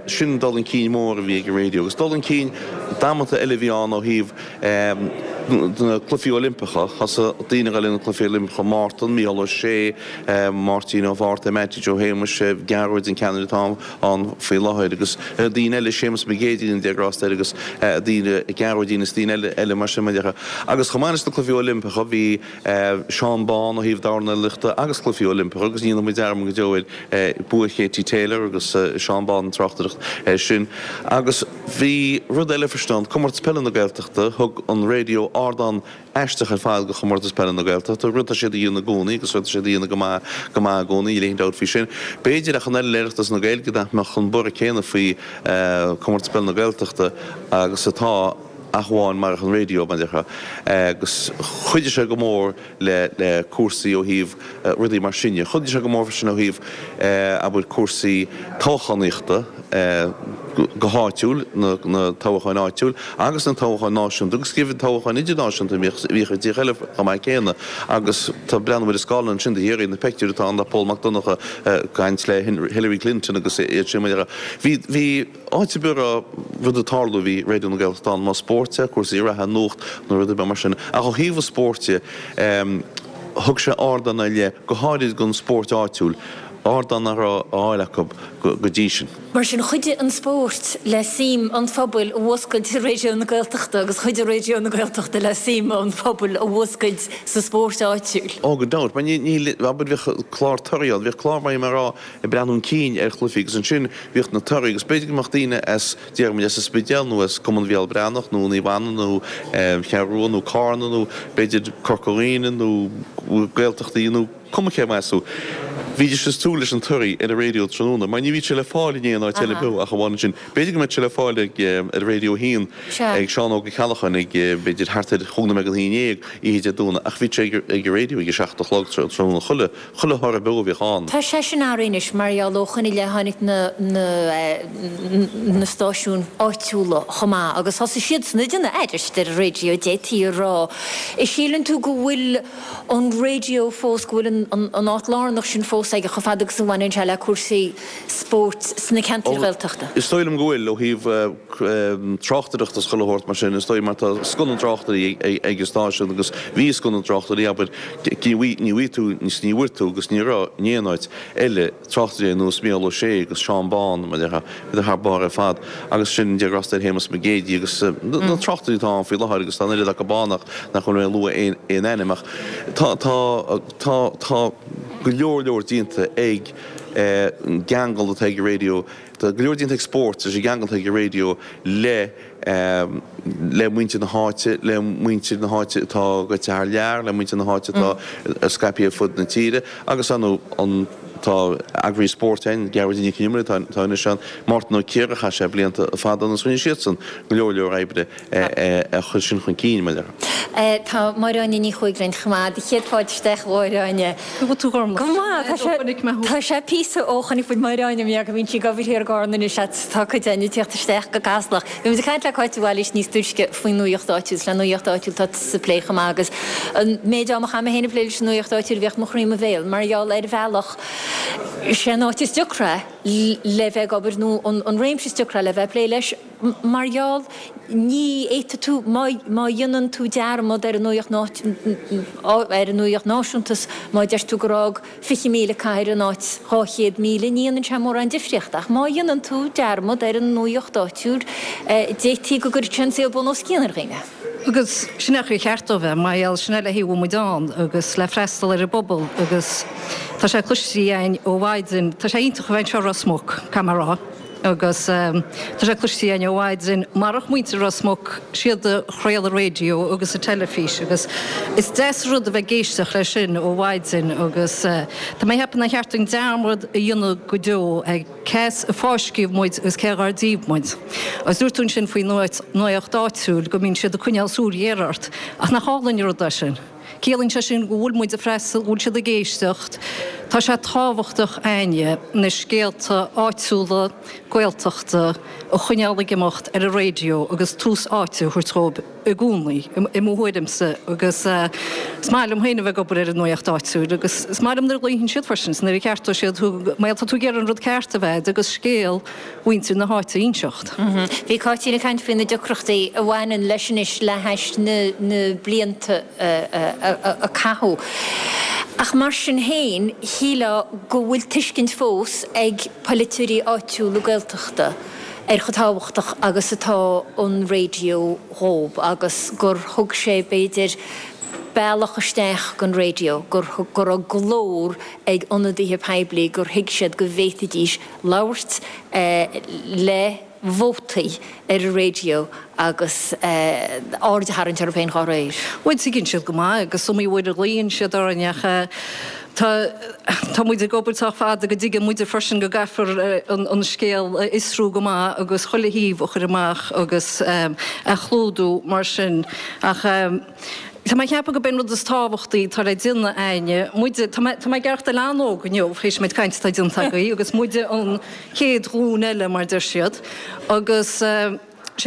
S3: sin dul chun cinn mór a bhí ag an raidió. Agus dul chun cinn damanta eile a bhí ann ó thaobh na Cluichí Oilimpeacha. Thosaigh daoine a dhul ag na Cluichí Oilimpeacha, Mártan, Mícheál Ó Sé, Máirtín Ó Fátharta, Mattie Joe Shéamuis, Gearóid an ceannaire atá ann faoi láthair agus daoine eile, Séamus Mac Géidigh, Dia grásta air agus daoine, Gearóidín is daoine eile mar sin. Agus chomh maith leis na Cluichí Oilimpeacha bhí Seán Bán ó thaobh dornálaíochta agus Cluichí Oilimpeacha agus ní dhéanfaidh muid dearmad go deo ar bua Katie Taylor agus Seán Bán an tráchtaireacht air sin. Agus bhí rud eile freisin ann, Comórtas Peile na Gaeltachta, thug an raidió ardán aisteach ar fad do Chomórtas Peile na Gaeltachta, rud atá siad a dhéanamh i gcónaí agus rud atá siad a dhéanamh go maith go maith i gcónaí, níl aon dabht faoi sin. B'fhéidir ach an oiread le Oireachtas na Gaeilge nach mbeadh an borradh céanna faoi Chomórtas Peile na Gaeltachta agus atá. ach amháin marach an raidió, mar a déarfá, agus chuidigh sé go mór le le cúrsaí ó thaobh rudaí mar sin de. Chuidigh sé go mór freisin ó thaobh, abair, cúrsaí toghchánaíochta go háitiúil, na na toghcháin áitiúil agus na toghcháin náisiúnta agus go deimhin toghcháin idirnáisiúnta a bhíodh a bhíodh i dtíortha eile chomh maith céanna. Agus tá breathnú ar an scáileán ansin do Chiarraí, na peictiúir atá ann de Pól Mac Donncha ag caint le Hillary Clinton agus iad sin, mar a déarfá. Bhí bhí. Áit ar bith a raibh rud ag tarlú bhí Raidió na Gaeltachta ann, más spórt é, cúrsaí reatha, nuacht nó rud ar bith mar sin. Ach ó thaobh an spóirt de, thug sé ardán ar leith, go háirid don spórt áitiúil, ardán nach raibh á fháil acu go dtí sin.
S1: Mar sin, chuidigh an spórt le suim an phobail a mhúscailt i Raidió na Gaeltachta agus chuidigh Raidió na Gaeltachta le suim an phobail a mhúscailt sa spórt áitiúil.
S3: Ó, gan dabht. Mar ní, abair, bhíodh clár torthaí ann, bhíodh clár mar a rá, ag breathnú chun cinn ar chluichí agus ansin bhíodh na torthaí agus b'fhéidir go mbeadh daoine as, déarfaidh muid, as an Spidéal nó as Cumann Bhéal Breathnach nó Naomh Anna nó Cheathrú Rua nó Cárna nó b'fhéidir Corca Dhuibhne nó Gaeltachtaí nó cuma cé as thú. Bhídís ag súil leis an toradh ar an raidió tráthnóna mar ní bhíodh sé le fáil in aon áit eile beo ach amháin ansin. B'fhéidir go mbeadh sé le fáil ag ar Raidió 1 ag Seán Óg Ó Ceallacháin ag b'fhéidir thart ar chúig nóiméad don haon dhéag oíche Dé Domhnaigh ach bhíodh sé ag an raidió ag a seacht a chlog tráthnóna chuile chuile thoradh beo a bhíodh ann.
S1: Tá sé sin athraithe anois mar gheall ó shoin i leith tháinig na na na stáisiúin áitiúla chomh maith agus thosaigh siadsan ag déanamh aithris ar an raidió d'fhéadfaí a rá. An síleann tú go bhfuil an raidió fós, go bhfuil an áit lárnach sin fós aige chomh fada agus a bhaineann sé le cúrsaí spóirt sna ceantair Ghaeltachta?
S3: Is dóigh liom go bhfuil, ó thaobh tráchtaireachta is chuile shórt mar sin, is dóigh, mar tá scoth na dtráchtairí ag an stáisiún agus bhí scoth na dtráchtairí, abair, ní bhfaighidh tú, ní bhfuair tú agus ní raibh in aon áit eile tráchtairí ar nós Mícheál Ó Sé agus Seán Bán, mar a déarfá, bhíodar thar barr ar fad agus sin Dia grásta ar Shéamus Mac Géidigh agus na tráchtairí atá ann faoi láthair agus tá an oiread acu ann ach nach bhfuil mé ag lua aon ainm ach tá, tá, tá, tá go leor leor déanta ag an gceangal atá ag an raidió, tá go leor déanta ag spórt leis an gceangal atá ag an raidió le le muintir na háite, le muintir na háite atá gaibhte thar lear, le muintir na háite atá scaipthe ar fud na tíre agus ar ndóigh an tá eagraí spóirt ann, Gearóidín Nic Con Iomaire atá anois ann, Mártan Ó Ciardha, chaith sé blianta fada ann agus rinne siadsan go leor leor oibre a chur sin chun cinn, mar a
S1: déarfá. Tá Máire Áine Ní Chuaig linn chomh maith. Do chéad fáilte isteach, a Mháire Áine.
S6: Go bhfuil tú gorm.
S1: Go maith, tá sé, tá sé píosa ó chonaic muid Máire Áine, mar go mbíonn sí ag obair thiar i gCarna anois ach tá cuid againn ag tíocht isteach go Caslach. Bhí muid ag caint le Cáit de Bhailís níos túisce faoin nuaíocht áitiúil, is le nuaíocht áitiúil atá tusa ag plé chomh maith agus an méid ama a chaith mé féin ag plé leis an nuaíocht áitiúil bhíodh mo chroí i mo bhéal mar gheall ar bhealach sé an áit is deacra le bheith ag obair nó an réimse is deacra le bheith ag plé leis mar gheall ní fhéadfaidh tú má má dhéanann tú dearmad ar an nuaíocht ar an nuaíocht náisiúnta 's má deir tú gur fhág 20,000 cathair in áit 200,000, ní dhéanann sé mórán difríochta. Ach má dhéanann tú dearmad ar an nuaíocht áitiúil, d'fhéadfaí go gcuirfeadh sé an saol bun os cionn ar dhaoine.
S6: Agus sin é an chaoi ar cheart dó bheith, mar gheall, sin é le haghaidh a bhfuil muid ann agus le freastal ar an bpobal agus tá sé cloiste againn ó mhaidin, tá sé iontach a bheith anseo i Ros Muc, caithfidh mé a rá. Agus tá sé cloiste againn ó mhaidin, marach muintir Ros Muc, siad a chraol an raidió agus an teilifís agus is deas an rud a bheith ag éisteacht leis sin ó mhaidin agus tá mé ag ceapadh nár cheart dúinn dearmad a dhéanamh go deo ar cé as a fáisceadh muid agus cé dhár díobh muid. Agus dúirt tú ansin faoin nuacht áitiúil go mbíonn siad ag coinneáil súil ghéar ort ach nach álainn an rud é sin? Ciallaíonn sé sin go bhfuil muid ag freastal, go bhfuil siad ag éisteacht. Tá sé tábhachtach againne na scéalta áitiúla Gaeltachta a choinneáil ag imeacht ar an raidió agus tús áite a thabhairt dhóibh i gcónaí, i mo thuairimse. Agus is maith liom féin a bheith ag obair ar an nuacht áitiúil agus is maith liom nuair a ghlaofaidh siad freisin is nuair a cheartóidh siad thú mar tá tú ag iarraidh an rud ceart a bheith agat agus scéal mhuintir na háite a inseacht.
S1: Bhí Cáitín ag caint faoi na deacrachtaí a bhaineann leis anois le hais na blianta a caitheadh. Ach mar sin féin, shílfeá go bhfuil tuiscint fós ag polaiteoirí áitiúla Gaeltachta ar chomh tábhachtach agus atá an raidió dhób agus gur thug sé, b'fhéidir, bealach isteach don raidió, gur go raibh glór ag ionadaithe poiblí, gur thuig siad go bhféadfaidís labhairt le vótaí ar an raidió agus aird a tharraingt orthu féin dá réir.
S6: Bhuel, tuigeann siad go maith agus is iomaí uair a ghlaonn siad orainn ach tá tá muid ag obair sách fada go dtuigeann muide freisin go gcaithfear an scéal a fhiosrú go maith agus chuile thaobh a chur amach agus a chlúdú mar sin ach Tá mé ag ceapadh gurb é an rud is tábhachtaí atá le déanamh againne, muide, tá mé, tá mé ag aireachtáil an-óg inniu, théis an méid cainte atá déanta agaibh, agus muide an chéad ghlúin eile, mar deir siad, agus sé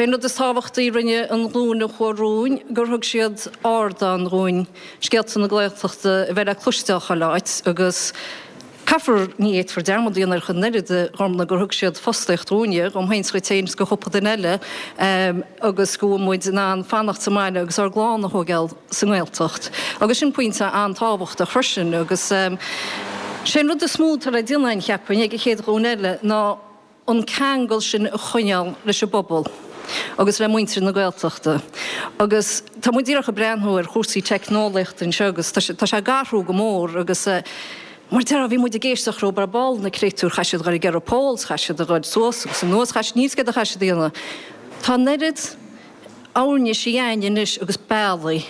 S6: an rud is tábhachtaí a rinne an ghlúin a chuaigh romhainn, gur thug siad ardán dhúinn scéalta na Gaeltachta a bheith le cloisteáil chuile áit, agus. Caithfear, ní fhéadfar dearmad a dhéanamh ar an oiread a Ghormfhlaith gur thug siad fostaíocht dhúinne, dhom féin 's dhuit féin 's do chúpla duine eile, agus go bhfuil muid in ann fanacht sa mbaile agus ár gclann a thóigeáil sa nGaeltacht. Agus sin pointe an-tábhachtach freisin agus sé an rud is mó atá le déanamh againn, cheapfainn, ag an chéad ghlúin eile ná, an ceangal sin a choinneáil leis an bpobal agus le muintir na Gaeltachta. Agus tá muid díreach ag breathnú ar chúrsaí teicneolaíochta anseo agus tá sé, tá sé ag athrú go mór agus mar a déarfá, bhí muid ag éisteacht leo ar ball, na créatúir, chaith siad a dhul ag iarraidh polls, chaith siad a dhul suas agus anuas, chaith siad, níl 's céard a chaith siad a dhéanamh. Tá an oiread uirlisí againn anois agus bealaí.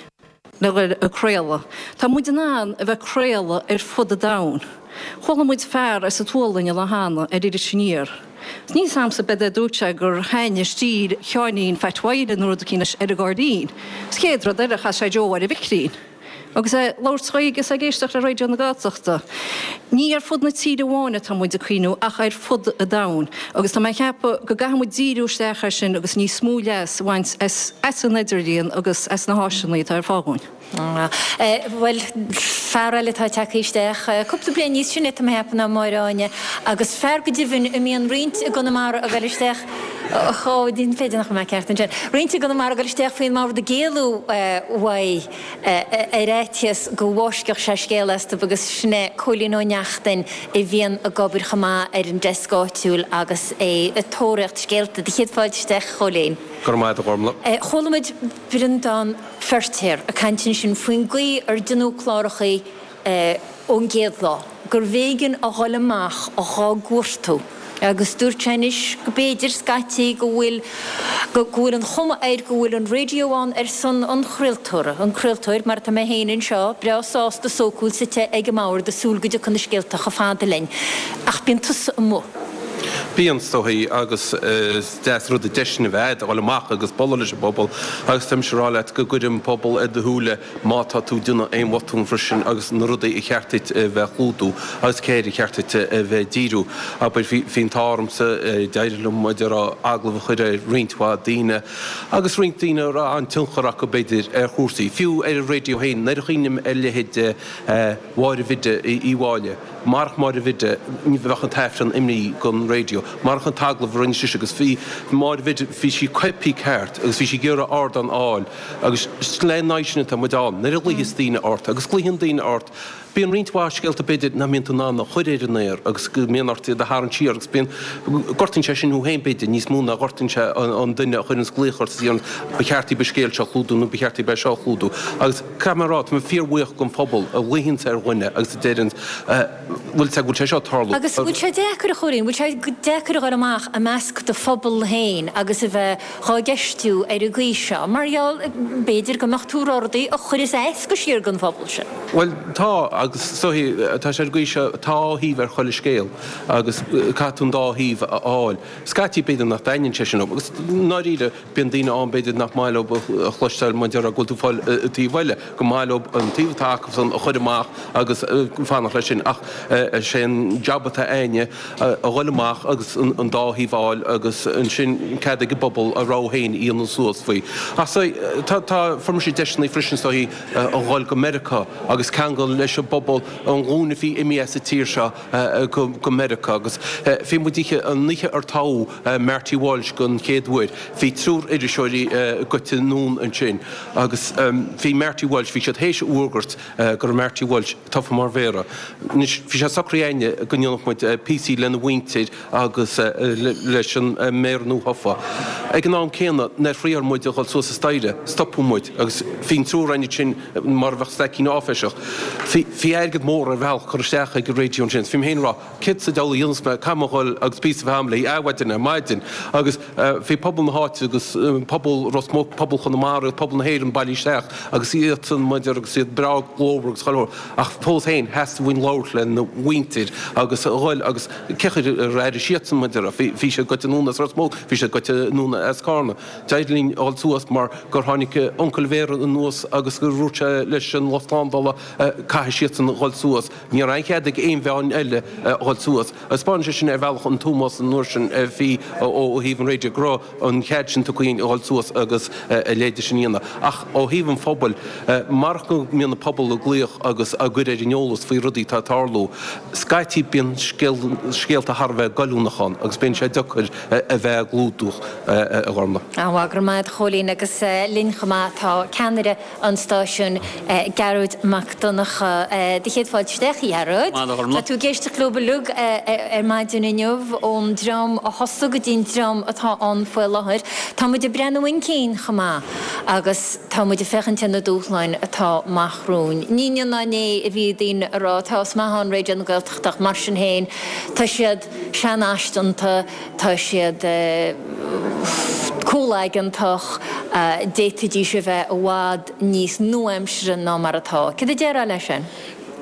S6: le dhul ag craoladh. Tá muid in ann a bheith ag craoladh ar fud an domhain. Chuala muid fear as an tSualainn an lá cheana ar Iris Aniar. Níl 's a'msa b'fhéidir dúirt sé gur thaitnigh stíl Sheáinín Pheait Mháire nó rud eicínt leis ar an gcairdín. Is chéad rud eile chas sé Joe ar an mhicrín. Agus é ag labhairt Gaeilge is é ag éisteacht le Raidió na Gaeltachta. Ní ar fud na tíre amháin atá muid ag cuimhniú ach ar fud an domhain. Agus tá mé ag ceapadh go gcaithfidh muid díriú isteach air sin agus níos mó leas a bhaint as an idirlíon agus as na háiseanna atá ar fáil dhúinn.
S1: Bhuel, fear eile atá tagtha isteach, cúpla bliain níos sine tá mé ag ceapadh ná Máire Áine, agus fear go deimhin a mbíonn roinnt i gConamara ag dul isteach, ó, b'fhéidir nach bhfuil mé ceart ansin, roinnt i gConamara ag dul isteach faoin mbord ag éalú uaidh ar fhaitíos go bhfáiscfeadh sé scéal astu agus sin é Cóilín Ó Neachtain a bhíonn ag obair chomh maith ar an deasc áitiúil agus é ag tóraíocht scéalta. Do chéad fáilte isteach, a Chóilín.
S3: Go raibh maith agat, a Ghormlaith.
S1: Chuala muid Breandán Feirtéar ag caint ansin faoin gcaoi ar deineadh clárachaí ón gcéad lá, gurbh éigean a dhul amach dhá gcuartú agus dúirt sé anois go b'fhéidir scaití go bhfuil go bhfuil an chuma air go bhfuil an raidió ann ar son an chraoltóra, an craoltóir mar atá mé féin anseo, breá sásta sócúil suite ag an mbord ag súil go dtiocfaidh na scéalta chomh fada linn. Ach bíonn tusa amuigh.
S3: Bíonn, is dóichí, agus is deas an rud an deis sin a bheith agat a dhul amach agus bualadh leis an bpobal agus tá mise ag rá leat go gcuireann an pobal ar do shúile má tá tú ag déanamh aon bhotún freisin agus na rudaí a cheart duit a bheith a chlúdú agus cé air a cheart duit a bheith ag díriú. Abair, bhí an t-ádh ormsa, d'éirigh liom, mar a déarfá, agallamh a chur ar roinnt mhaith daoine agus roinnt daoine a raibh an-tionchar acu, b'fhéidir, ar chúrsaí, fiú ar an raidió féin, nuair a chuimhním ar leithéid Mháire Bhiddy Uí Mháille. Marach Máire Bhiddy, ní bheadh an tAifreann imithe gon raidió. Marach an t-agallamh a rinne sise agus bhí Máire Bhiddy, bhí sí coipthe ceart agus bhí sí ag iarraidh ardán a fháil agus is lena aghaidh sin atá muid ann. Nuair a ghlaothas daoine ort, agus glaoigheann daoine ort, bíonn roinnt mhaith scéalta b'fhéidir nach mbíonn tú in ann a chur ar an aer agus go mbíonn ort iad a tharraingt siar agus bíonn, gortaíonn sé sin thú féin b'fhéidir níos mó ná gortaíonn sé an duine a chuireanns glaoch ort is a deireanns ba cheart daoib an scéal seo a chlúdú nó ba cheart daoib é seo a chlúdú agus Caithfidh mé a rá, tá mé fíorbhuíoch don phobal a ghlaoigheanns ar dhuine agus a deireanns, bhfuil sé, go bhfuil sé seo ag tarlú.
S1: Agus bhfuil sé deacair, a Chóilín, bhfuil sé deacair a dhul amach i measc do phobal féin agus a bheith dhá gceistiú ar an gcaoi seo, mar gheall, b'fhéidir go mbeadh tú ag rá rudaí a chuireas as go síor don phobal sin?
S3: Bhuel, tá, agus is dóichí, tá sé ar an gcaoi seo, tá dhá thaobh ar chuile scéal agus caithfidh tú an dá thaobh a fháil. Scaití b'fhéidir nach dtaitníonn sé sin leo agus i ndáiríre, Bíonn daoine ann, b'fhéidir, nach maith leo a chloisteáil mar a déarfá go bhfuil tú ag fáil an taobh eile, gur maith leo an taobh atá acusan a chur amach agus fanacht leis sin. Ach is é an jab atá a'inne a dhul amach agus an dá thaobh a fháil agus ansin cead ag an bpobal a rogha féin a dhéanamh suas faoi. Ach tá, tá, fuair mise deiseanna freisin is dóichí a dhul go Meiriceá agus ceangal leis an bpobal, an ghlúin a bhí imithe as an tír seo go Meiriceá agus bhí muid oíche, an oíche ar toghadh Marty Walsh don chéad uair, bhí triúr iriseoirí goite anonn ansin agus bhí Marty Walsh, bhí siad théis a fhuagairt go raibh Marty Walsh tofa mar mhéara. Anois bhí sé socraithe a'inne go ndéanfadh muid píosaí lena mhuintir agus leis an méara nuathofa. Ag an am céanna nuair a thriáil muid a dhul suas an staighre, stopadh muid agus bhí an triúr a'inne ansin mar a bheadh staicín áiféiseach. Bhí airgead mór ar bhealach curtha isteach ag an raidió ansin. Bhí mé féin ag rá, céard sa diabhal a dhéanfas mé, caithfidh mé a dhul agus píosa a bheith a'm léi adhmhaidin ar maidin. Agus bhí pobal na háite agus pobal Ros Muc, pobal Chonamara agus pobal na hÉireann bailithe isteach agus iadsan maidir agus iad breá glórmhar agus chuile shórt. Ach fós féin, theastaigh uainn labhairt lena mhuintir agus a dhul agus cé chaoi ar airigh siadsan maidir, bhí siad goite anonn as Ros Muc, bhí siad goite anonn as Carna. D'éirigh linn a dhul suas mar gur tháinig uncail an mhéara anuas agus gur dhúirt sé leis an lucht slándála caithfidh siadsan a dhul suas. Ní raibh aon chead ag aon mheáin eile a dhul suas. Thaispeáin sé sin ar bhealach an t-ómós an uair sin a bhí ó thaobh an raidió go raibh an chead sin tugtha dhúinn a dhul suas agus a leithéid sin a dhéanamh. Ach ó thaobh an phobail, marach go mbíonn an pobal ag glaoch agus á gcur ar an eolas faoi rudaí atá ag tarlú, scaití bíonn scéalta thar a bheith goilliúnach ann agus bíonn sé deacair a bheith á gclúdach, a Ghormfhlaith.
S1: An-mhaith, go raibh maith agat a Chóilín agus linn chomh maith tá ceannaire an stáisiúin, Gearóid Mac Donncha. Do chéad fáilte isteach, a Ghearóid.
S10: Maith a Ghormfhlaith.
S1: Tá tú ag éisteacht leo uilig ar maidin inniu, ón dream a thosaigh go dtí an dream atá ann faoi láthair. Tá muid ag breathnú chun cinn chomh maith agus tá muid ag féachaint ar na dúshláin atá amach romhainn. Ní inniu ná inné a bhí daoine ag rá tá is maith ann Raidió na Gaeltachta ach mar sin féin tá siad seanfhaiseanta, tá siad. Comhlaigeantach, d'fhéadfaidís a bheith i bhfad níos nua-aimseartha ná mar atá. Céard a déarfá leis sin?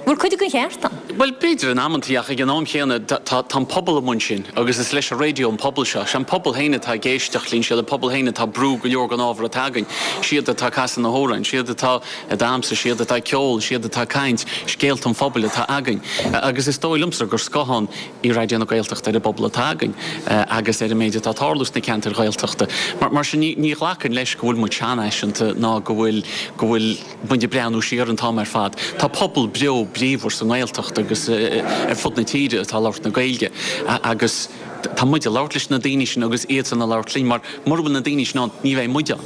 S1: Bhfuil cuid den cheart ann?
S10: Bhuel, b'fhéidir in amantaí, ach ag an am chéanna, tá an pobal amuigh ansin agus is leis an raidió an pobal seo. Sé an pobal féin atá ag éisteacht linn, siad an pobal féin atá ag brú go leor den ábhar atá againn, siad atá ag casadh na hamhráin, siad atá ag damhsa, siad atá ag ceol, siad atá ag caint, scéalta an phobail atá againn. Agus is dóigh liomsa gur scáthán í Raidió na Gaeltachta ar an bpobal atá againn agus ar an méid atá ag tarlú sna ceantair Ghaeltachta. Mar sin, ní ghlacfainn leis go bhfuil muid seanfhaiseanta ná go bhfuil, go bhfuil muid ag breathnú siar an t-am ar fad. Tá pobal beo bríomhar sa nGaeltacht agus ar fud na tíre atá ag labhairt na Gaeilge agus tá muid ag labhairt leis na daoine sin agus iadsan ag labhairt linn mar mura bhfuil na daoine sin ann ní bheidh muid ann.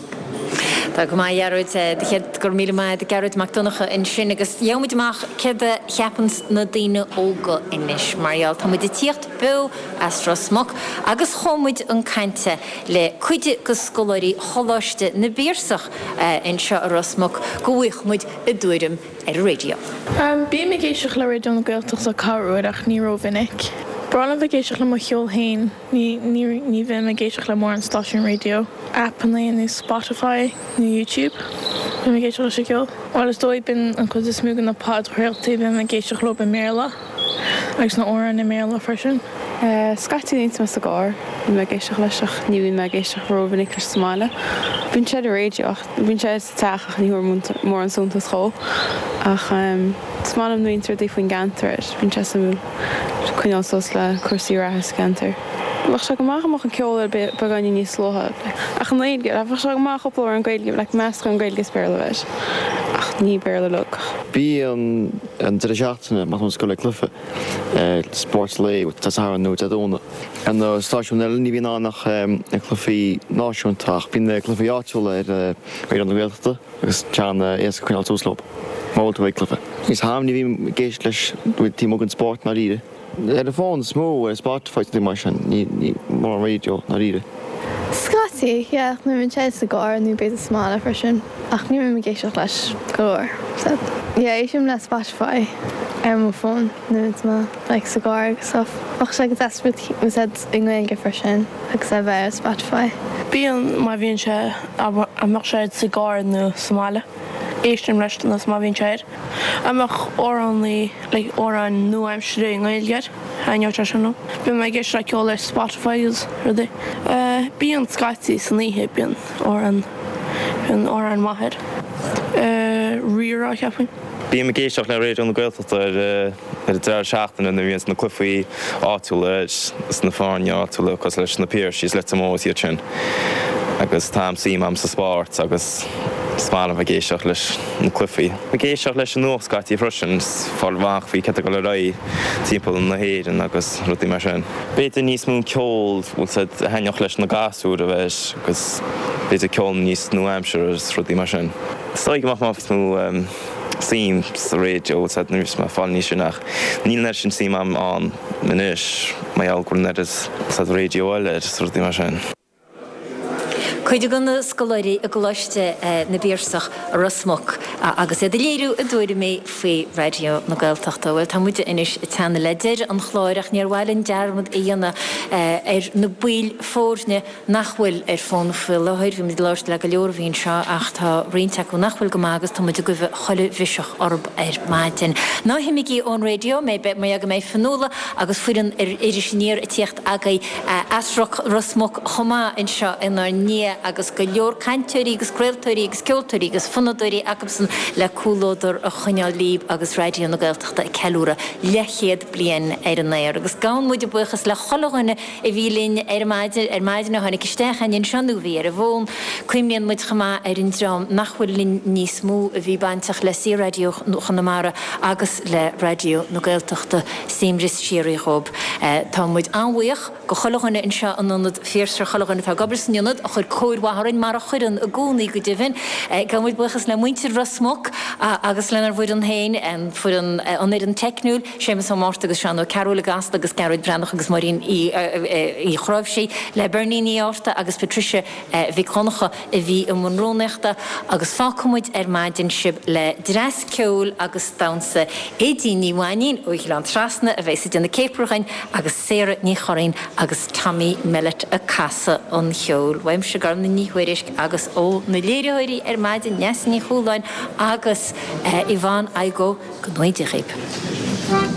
S1: Tá go maith, a Ghearóid. Go raibh míle maith agat, Gearóid Mac Donncha ansin agus gheobhaidh muid amach céard a cheapanns na daoine óga anois mar gheall tá muid ag tíocht beo as Ros Muc agus chuaigh muid chun cainte le cuid de scoláirí Choláiste na bPiarsach anseo i Ros Muc go bhfaigheadh muid a dtuairim ar an raidió.
S11: Bím ag éisteacht le Raidió na Gaeltachta corruair ach ní rómhinic. B'fhearr liom bheith ag éisteacht le mo cheol féin, ní ní bhím ag éisteacht le mórán stáisiún raidió, aipeanna nó Spotify nó YouTube. Bím ag éisteacht leis an gceol. Bhuel is dóigh bíonn an chuid is mó de na podchraoltaí bím ag éisteacht leo i mBéarla agus na amhráin i mBéarla freisin.
S23: Scaití nuair atá mé sa gcarr, bíonn mé ag éisteacht leis ach ní bhíonn mé ag éisteacht rómhinic leis sa mbaile. Bíonn sé ar an raidió ach bíonn sé sa teach ach ní thabharfainn mórán suntas dhó. Ach is maith liom nuair a bhíonn rudaí faoin gceantar air, bíonn sé suimiúil coinneáil suas le cúrsaí reatha sa gceantar. Bheadh sé go maith dá mbeadh an ceol air beagáinín níos luaithe ach i nGaeilge, bheadh sé go maith cúpla amhrán Gaeilge, like meascán Gaeilge is Béarla a bheith air ach ní Béarla uilig.
S24: Bíonn an deireadh seachtaine má tá muid ag dul ag cluiche. Spórt lae Dé Sathairn nó Dé Domhnaigh. Ar na stáisiúin eile ní bhíonn ann ach na cluichí náisiúnta ach bíonn na cluichí áitiúla ar Raidió na Gaeltachta agus tá an-éasca coinneáil suas leo má bhfuil tú ag cluiche. Níos ham ní bhím ag éisteacht leis taobh amuigh den spórt i ndáiríre. Ar an bhfón is mó, ar Spotify is rudaí mar sin, ní mórán raidió i ndáiríre.
S11: Scaití, yeah, nuair a bhíonn sé sa gcarr nó b'fhéidir sa mbaile freisin, ach ní bhím ag éisteacht leis go leor, so yeah, éistim le Spotify ar mo fón nuair atá mé like sa gcarr agus stuff. Bheadh sé go deas rud úsáid i nGaeilge freisin agus é bheith ar Spotify.
S25: Bíonn, má bhíonn sé, a mbeadh sé sa gcarr nó sa mbaile, éistim leis nó má bhíonn sé air. A mbeadh amhránaí, like amhráin nua-aimseartha i nGaeilge air, thaitneodh sé sin liom. Bíonn mé ag éisteacht le ceol ar Spotify agus rudaí. Bíonn scaití san oíche, bíonn amhrán, bíonn amhrán maith air. Rí-Rá, cheapfainn.
S26: Bím ag éisteacht le Raidió na Gaeltachta ar an deireadh seachtaine nuair a bhíonns na cluichí áitiúla air is na foirne áitiúla cosúil leis na Piarsaigh is Leitir Móir is iad sin agus tá suim agam sa spórt agus is maith liom bheith ag éisteacht leis na cluichí. Ag éisteacht leis an nuacht scaití freisin is fáil amach faoi céard atá ag dul ar aghaidh timpeall na hÉireann agus rudaí mar sin. B'fhéidir níos mó ceol bhfuil 's a'd a thaitneodh leis na gasúir a bheith agus b'fhéidir ceol níos nua-aimseartha is rudaí mar sin. Is dóigh go mbeadh níos mó suim sa raidió bhfuil 's a'd nuair is mé ag fáil níos sine ach níl an oiread sin suim agam ann anois mar gheall go bhfuil an oiread 's a'd raidió eile air is rudaí mar sin.
S1: Cuid de na scoláirí i gColáiste na bPiarsach i Ros Muc agus iad ag léiriú a dtuairimí faoi Raidió na Gaeltachta. Bhuel, tá muide anois ag teannadh le deireadh an chláir ach níor mhaith linn dearmad a dhéanamh ar na baill foirne nach bhfuil ar fón faoi láthair. Bhí muid ag labhairt le go leor a bhí anseo ach tá roinnt acu nach bhfuil go maith agus tá muid ag guibhe chuile mhiseach orthu ar maidin. Ná himígí ón raidió, mar go mbeidh Fionnuala agus foireann Iris Aniar ag tíocht agaibh as Ros Muc chomh maith anseo inár ndiaidh agus go leor cainteoirí agus craoltóirí agus ceoltóirí agus fonnadóirí acusan le comhluadar a choinneáil líb agus Raidió na Gaeltachta ag ceiliúradh leathchéad bliain ar an aer. Agus gabhann muid buíochas le chuile dhuine a bhí linn ar maidin, ar maidin a tháinig isteach againn anseo nó a bhí ar an bhfón. Cuimhníonn muid chomh maith ar an dream nach bhfuil linn níos mó a bhí bainteach le Saor-Raidió Chonamara agus le Raidió na Gaeltachta. Suaimhneas síoraí dhóib. Tá muid an-bhuíoch go chuile dhuine anseo in Ionad Phiarsaigh, chuile dhuine atá ag obair san Ionad, a chuir. cóir mhaith orainn, mar a chuireann i gcónaí go deimhin. Gabhaimid buíochas le muintir Ros Muc agus lenár bhfoireann féin, an foireann, an fhoireann teicniúil, Séamus Ó Márta agus Seán Ó Cearúil i gCasla agus Gearóid Breathnach agus Máirín Uí Chráimhsí, le Bernie Ní Fhátharta agus Patricia Mhic Dhonncha a bhí i mbun rúnaíochta agus fágfaidh muid ar maidin sibh le dreas ceoil agus damhsa Aedín Ní Mhainín ó Ghleann Trasna a bheas ag déanamh céapaire dhuinn agus Sarah Ní Churraoin agus Tommy Mellett ag casadh an cheoil. Uaimse Gormlaith Ní Thuairisg agus ó na léiritheoirí ar maidin Neasa Ní Chualáin agus Yvonne Igoe, go ngnóthaí Dia dhaoib.